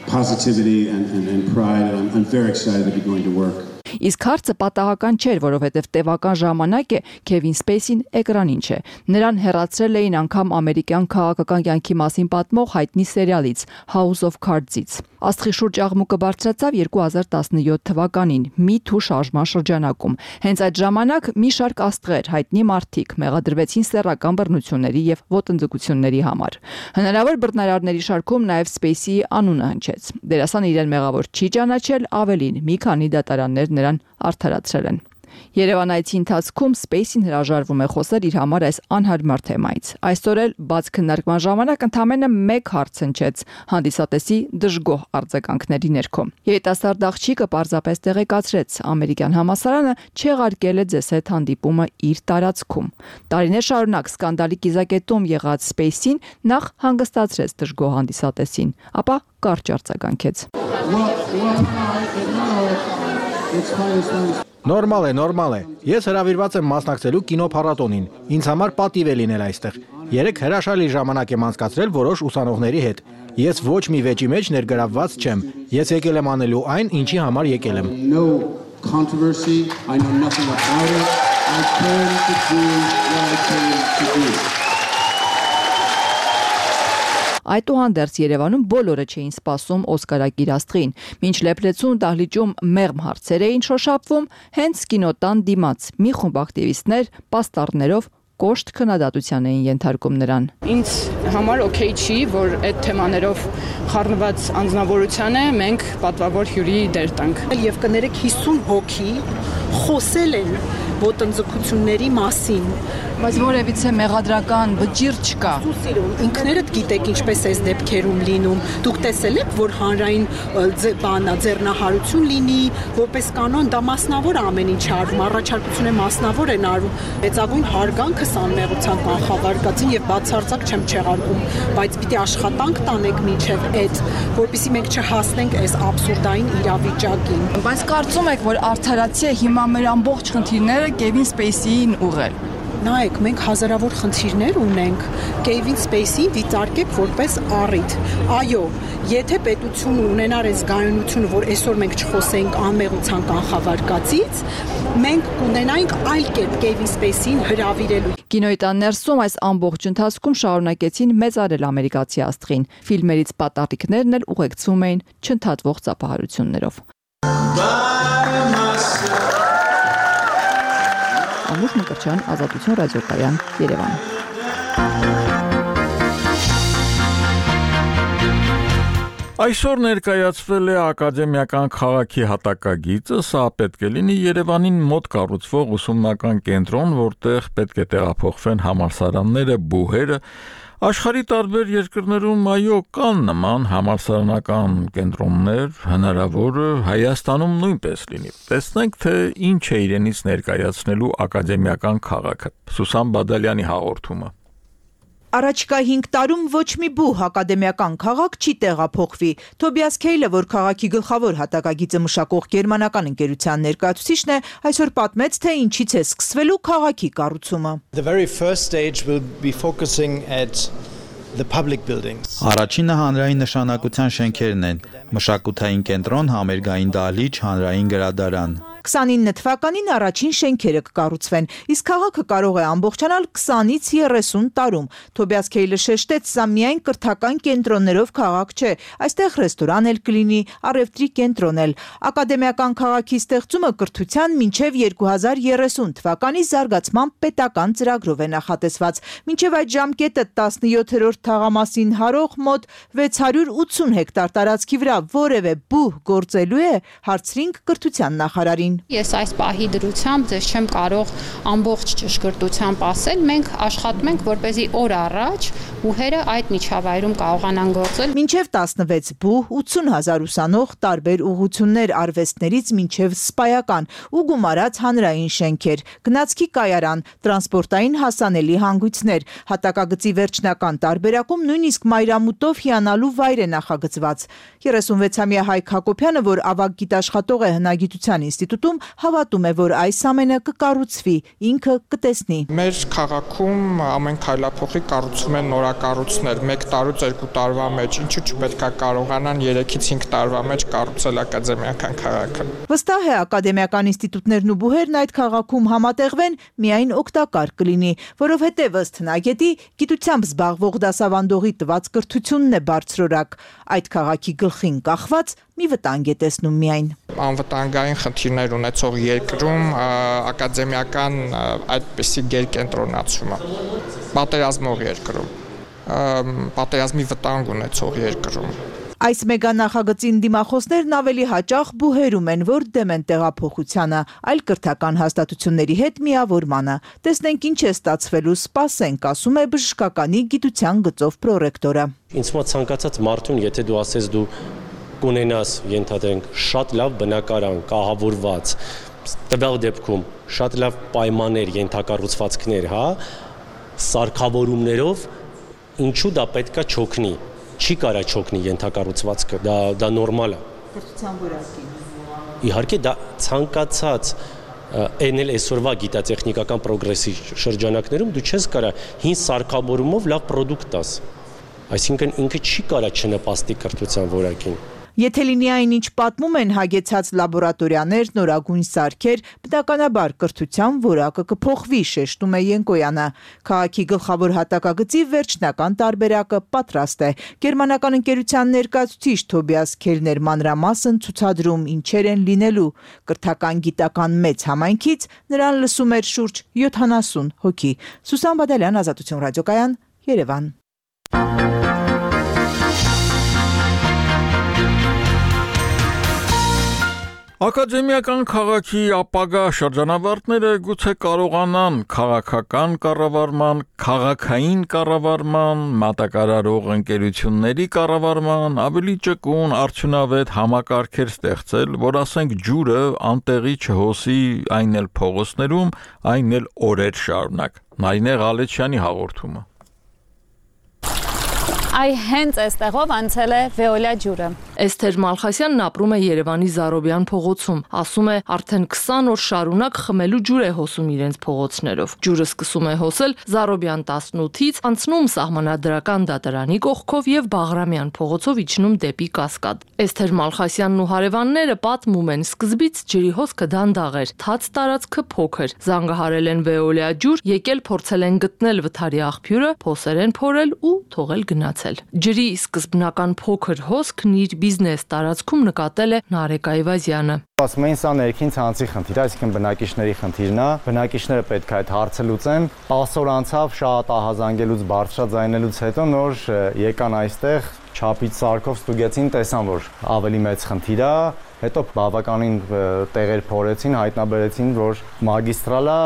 Positivity and pride, and I'm very excited to be going to work. Իսկ հարցը պատահական չէր, որովհետև տևական ժամանակ է Քևին Սպեյսին էկրանին չէ։ Նրան հեռացրել էին անգամ ամերիկյան քաղաքական կյանքի մասին պատմող հայտնի սերիալից House of Cards-ից։ Աստղի շուրջ աղմուկը բարձրացավ 2017 թվականին Me Too շարժման շրջանակում։ Հենց այդ ժամանակ մի շարք աստղեր, հայտնի մարդիկ մեղադրվեցին սեռական բռնությունների եւ ոտնձգությունների համար։ Հնարավոր բռնարարների շարքում նաեւ Սպեյսիի անունը հնչեց։ Դերասանը իրեն մեղավոր չի ճանաչել, ավելին մի քանի դատարաններ նրան արդարացրել են։ Երևանայցի ընթացքում Սպեյսին հրաժարվում է խոսել իր համար այս անհարմար թեմայից։ Այսօր էլ բաց քննարկման ժամանակ ընդամենը 1 հարց հնչեց հանդիսատեսի դժգոհ արձագանքների ներքո։ Երիտասարդ աղջիկը պարզապես տեղեկացրեց, ամերիկյան համալսարանը չեղարկել է ձեզ հետ հանդիպումը իր տարածքում։ Տարիներ շարունակ սկանդալի կիզակետում եղած Սպեյսին նախ հանգստացրեց դժգոհ հանդիսատեսին, ապա կարճ արձագանքեց։ Նորմալ է։ Ես հրավիրված եմ մասնակցելու կինոփառատոնին։ Ինձ համար պատիվ է լինել այստեղ։ Երեք հրաշալի ժամանակ եմ անցկացրել որոշ ուսանողների հետ։ Ես ոչ մի վեճի մեջ ներգրավված չեմ։ Ես եկել եմ անելու այն, ինչի համար եկել եմ։ Այդուհանդերձ Երևանում բոլորը չէին սպասում օսկարակիր աստղին։ Մինչ Լեփլեցուն դահլիճում մեղմ հարցեր էին շոշափվում, հենց կինոտան դիմաց մի խումբ ակտիվիստներ պաստառներով կոշտ քննադատության էին ենթարկում նրան։ Ինձ համար օքեյ չի, որ այդ թեմաներով խառնված անձնավորությանը մենք պատվավոր հյուրի դեր տանք։ Եվ կներեք 50 հոգի խոսել են ոտնձգությունների մասին, բայց որևիցե մեղադրական վճիռ չկա։ Ինքներդ գիտեք ինչպես է դեպքերում լինում։ Դուք տեսել եք, որ հանրային ձեռնահարություն լինի, որպես կանոն դա մասնավոր ամեն ինչ արվում, առաջարկությունը մասնավոր են արվում։ Մեծագույն հարգանքը անմեղության կանխավարկածին եւ բացարձակ չեմ չեղարկում, բայց պիտի աշխատանք տանենք մինչեւ այդ, որպեսզի մենք չհասնենք այս աբսուրդային իրավիճակին։ Բայց կարծում եք, որ արդարացի է հիմա մեր ամբողջ խնդիրները Քևին Սպեյսիին ուղղել։ Նայեք, մենք հազարավոր խնդիրներ ունենք, Քևին Սպեյսին դիտարկեք որպես առիթ։ Այո, եթե պետությունը ունենար այս գայունությունը, որ այսօր մենք չխոսենք անմեղության կանխավարկածից, մենք կունենայինք այլ կերպ Քևին Սպեյսին հրավիրելու։ Կինոյի տան ներսում այս ամբողջ ընթացքում շարունակեցին մեծարել ամերիկացի աստղին։ Ֆիլմերից պատառիկներն էլ ուղեկցվում էին չընդհատվող ծափահարություններով։ Անուշ Մկրտչյան, Ազատություն ռադիոկայան, Երևան։ Այսօր ներկայացվել է ակադեմիական քաղաքի հատակագիծը, սա պետք է լինի Երևանին մոտ կառուցվող ուսումնական կենտրոն, որտեղ պետք է տեղափոխվեն համալսարանները, բուհերը, Աշխարհի տարբեր երկրներում այո կան նման համալսարանական կենտրոններ, հնարավոր է Հայաստանում նույնպես լինի։ Տեսնենք, թե ինչ է իրենից ներկայացնելու ակադեմիական քաղաքը։ Սուսան Բադալյանի հաղորդումը։ Առաջիկա 5 տարում ոչ մի բուհ ակադեմիական քաղաք չի տեղափոխվի։ Թոբիաս Քեյլը, որ քաղաքի գլխավոր հատակագիծը մշակող գերմանական ընկերության ներկայացուցիչն է, այսօր պատմեց, թե ինչից է սկսվելու քաղաքի կառուցումը։ The very first stage will be focusing at the public buildings. Առաջինը հանրային նշանակության շենքերն են՝ մշակութային կենտրոն, համերգային դահլիճ, հանրային գրադարան։ 29 թվականին առաջին շենքերը կկառուցվեն, իսկ քաղաքը կարող է ամբողջանալ 20-ից 30 տարում։ Թոբիաս Քեյլը շեշտեց, սա միայն կրթական կենտրոններով քաղաք չէ, այստեղ ռեստորան էլ կլինի, առևտրի կենտրոն էլ։ Ակադեմիական քաղաքի ստեղծումը կրթության մինչև 2030 թվականի զարգացման պետական ծրագրով է նախատեսված։ Մինչև այդ ժամկետը 17-րդ թաղամասին հարող մոտ 680 հեկտար տարածքի վրա որևէ բուհ գործելու է, հարցրինք կրթության նախարարին։ Ես այս պահի դրությամբ ձեզ չեմ կարող ամբողջ ճշգրտությամբ ասել, մենք աշխատում ենք, որպեսզի օր առաջ բուհերը այդ միջավայրում կարողանան գործել։ Մինչև 16 բուհ, 80,000 ուսանող, տարբեր ուղղություններ արվեստներից մինչև սպայական ու գումարած հանրային շենքեր, գնացքի կայարան, տրանսպորտային հասանելի հանգույցներ, հատակագծի վերջնական տարբերակում նույնիսկ մայրամուտով հիանալու վայր է նախագծված։ 36-ամյա Հայկ Հակոբյանը, որ ավագ գիտաշխատող է հնագիտության ինստիտուտում, հավատում է, որ այս ամենը կկառուցվի, ինքը կտեսնի։ Մեր քաղաքում ամեն քայլափոխի կառուցում են նորակառույցներ, 1 տարուց 2 տարվա մեջ, ինչու չպետք է կարողանան 3-ից 5 տարվա մեջ կառուցել ակադեմիական քաղաքը։ Վստահ է, ակադեմիական ինստիտուտներն ու բուհերն այդ քաղաքում համատեղվեն, միայն օգտակար կլինի, որովհետև ըստ հնագետի գիտությամբ զբաղվող դասավանդողի տված կրթությունն է բարձրորակ։ Այդ քաղաքի գլխին կախված մի վտանգ է տեսնում միայն։ Անվտանգային խնդիրներ ունեցող երկրում ակադեմիական այդպիսի գերկենտրոնացումը, պատերազմող երկրում, պատերազմի վտանգ ունեցող երկրում։ Այս մեգանախագծին դիմախոսներն ավելի հաճախ բուհերում են, որ դեմ են տեղափոխությանը, այլ կրթական հաստատությունների հետ միավորմանը։ Տեսնենք ինչ է ստացվելու, սպասենք, ասում է բժշկականի գիտության գծով պրոռեկտորը։ Ինձ մոտ ցանկացած մարդուն, եթե դու ասես դու կունենաս, ենթադրենք, շատ լավ բնակարան, կահավորված, տվյալ դեպքում շատ լավ պայմաններ, ենթակառուցվածքներ, հա, սարքավորումներով, ինչու դա պետքա չօգնի։ Չի կարա չօգնի ենթակառուցվածքը, դա նորմալ է։ Կրթության որակին։ Իհարկե դա ցանկացած էնել այսօրվա գիտատեխնիկական պրոգրեսի շրջանակներում դու չես կարա հին սարքավորումով լավ պրոդուկտ տաս։ Այսինքն ինքը չի կարա չնպաստի կրթության որակին։ Եթե լինի այնինչ պատմում են հագեցած լաբորատորիաներ, նորագույն սարքեր, բնականաբար կրթության որակը կփոխվի, շեշտում է Յենկոյանը։ Քաղաքի գլխավոր հատակագծի վերջնական տարբերակը պատրաստ է։ Գերմանական ընկերության ներկայացուցիչ Թոբիաս Քեյլներ մանրամասն ցուցադրում ինչեր են լինելու։ Կրթական գիտական մեծ համայնքից նրան լսում էր շուրջ 70 հոգի։ Սուսան Բադալյան, Ազատություն ռադիոկայան, Երևան։ Ակադեմիական քաղաքի ապագա շրջանավարտները գուցե կարողանան քաղաքական կառավարման, քաղաքային կառավարման, մատակարարող ընկերությունների կառավարման ավելի ճկուն արդյունավետ համակարգեր ստեղծել, որ ասենք ջուրը անտեղի չհոսի այն էլ փողոցներում, այն էլ օրեր շարունակ։ Նայնե Ղալեչյանի հաղորդումը։ Այ հենց այստեղով անցել է Վեոլա ջուրը։ Էսթեր Մալխասյանն ապրում է Երևանի Զարոբյան փողոցում։ Ասում է, արդեն 20 օր շարունակ խմելու ջուր է հոսում իրենց փողոցներով։ Ջուրը սկսում է հոսել Զարոբյան 18-ից, անցնում Սահմանադրական դատարանի կողքով եւ Բաղրամյան փողոցով իջնում դեպի Կասկադ։ Էսթեր Մալխասյանն ու հարևանները պատմում են, սկզբից ջրի հոսքը դանդաղ էր, թաց տարածքը փոքր։ Զանգահարել են Վեոլա ջուր, եկել փորձել են գտնել վթարի աղբյուրը, փոսեր են փորել ու թողել գնացել։ Ջրի սկզբնական փոքր հոսքն իր բիզնես տարածքում նկատել է Նարեկ Այվազյանը։ Ասում են, սա ներքին ցանցի խնդիր, այսինքն բնակիչների խնդիրն է, բնակիչները պետք է այդ հարցը լուծեն։ 10 օր անցավ շատ ահազանգելուց, բարձրաձայնելուց հետո նոր եկան այստեղ, չափից սարքով ստուգեցին, տեսան, որ ավելի մեծ խնդիր է, Հետո բավականին տեղեր փորեցին, հայտնաբերեցին, որ մագիստրալը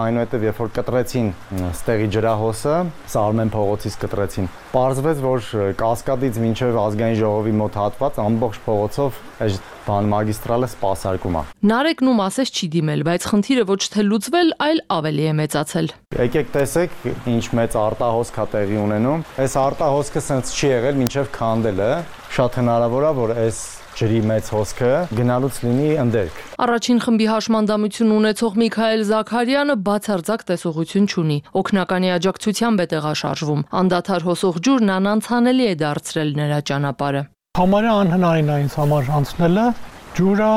այնուհետև երբ որ կտրեցին ստեղի ջրահոսը, Սարմեն փողոցից կտրեցին, պարզվեց, որ Կասկադից մինչև ազգային ժողովի մոտ հատված ամբողջ փողոցով այս մագիստրալը սպասարկում է։ Նարեկն ում ասես չի դիմել, բայց խնդիրը ոչ թե լուծվել, այլ ավելի է մեծացել։ Եկեք տեսեք, ինչ մեծ արտահոսք է տեղի ունենում։ Այս արտահոսքը սենց չի եղել մինչև քանդելը։ Շատ հնարավոր է, որ այս ջրի մեծ հոսքը գնալուց լինի ընդերք։ Առաջին խմբի հաշմանդամություն ունեցող Միքայել Զաքարյանը բացարձակ տեսողություն չունի։ Օգնականի աջակցությամբ է տեղաշարժվում։ Անդադար հոսող ջուրն անանցանելի է դարձրել նրա ճանապարհը։ Համարյա անհնարին է ինձ համար անցնելը, ջուրը,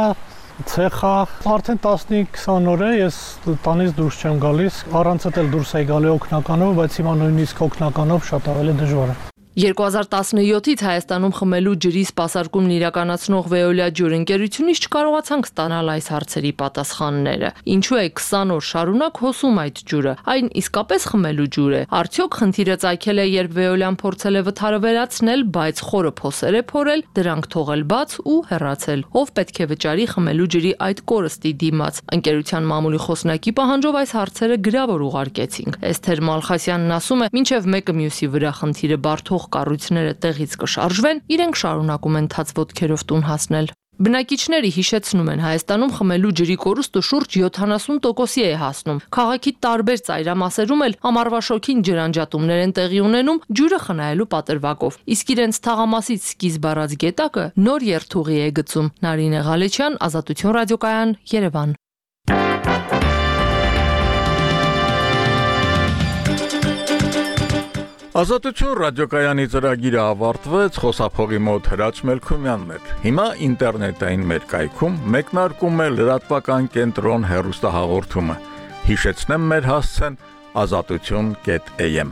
ցեխա, արդեն 15-20 օր է ես տանից դուրս չեմ գալիս, առանց էլ դուրս էի գալի օգնականով, բայց հիմա նույնիսկ օգնականով շատ ավելի դժվար է։ 2017-ից Հայաստանում խմելու ջրի սպասարկումն իրականացնող Veolia ջուր ընկերությունից չկարողացանք ստանալ այս հարցերի պատասխանները։ Ինչու է 20 օր շարունակ հոսում այդ ջուրը։ Այն իսկապես խմելու ջուր է։ Արդյոք խնդիրը ծագել է, երբ Veolia-ն փորձել է վթարը վերացնել, բայց խորը փոսեր է փորել, դրանք թողել բաց ու հեռացել։ Ով պետք է վճարի խմելու ջրի այդ կորստի դիմաց։ Ընկերության մամուլի խոսնակի պահանջով այս հարցերը գրավոր ուղարկեցինք։ Էսթեր Մալխասյանն ասում է, մինչև մեկը մյուսի վրա խնդիրը բարդող կառույցները տեղից կշարժվեն, իրենք շարունակում են թաց ոտքերով տուն հասնել։ Բնակիչները հիշեցնում են, Հայաստանում խմելու ջրի կորուստը շուրջ 70%-ի է հասնում։ Քաղաքի տարբեր ծայրամասերում էլ ամառվա շոգին ջրանջատումներ են տեղի ունենում ջուրը խնայելու պատրվակով։ Իսկ իրենց թաղամասից սկիզբ առած գետակը նոր երթուղի է գծում։ Նարինե Ղալեչյան, Ազատություն ռադիոկայան, Երևան։ Ազատություն ռադիոկայանի ծրագիրը ավարտվեց, խոսափողի մոտ Հրաչ Մելքումյանն էր։ Հիմա ինտերնետային մեր կայքում մեկնարկում է լրատվական կենտրոն հեռուստահաղորդումը։ Հիշեցնեմ մեր հասցեն azatutyon.am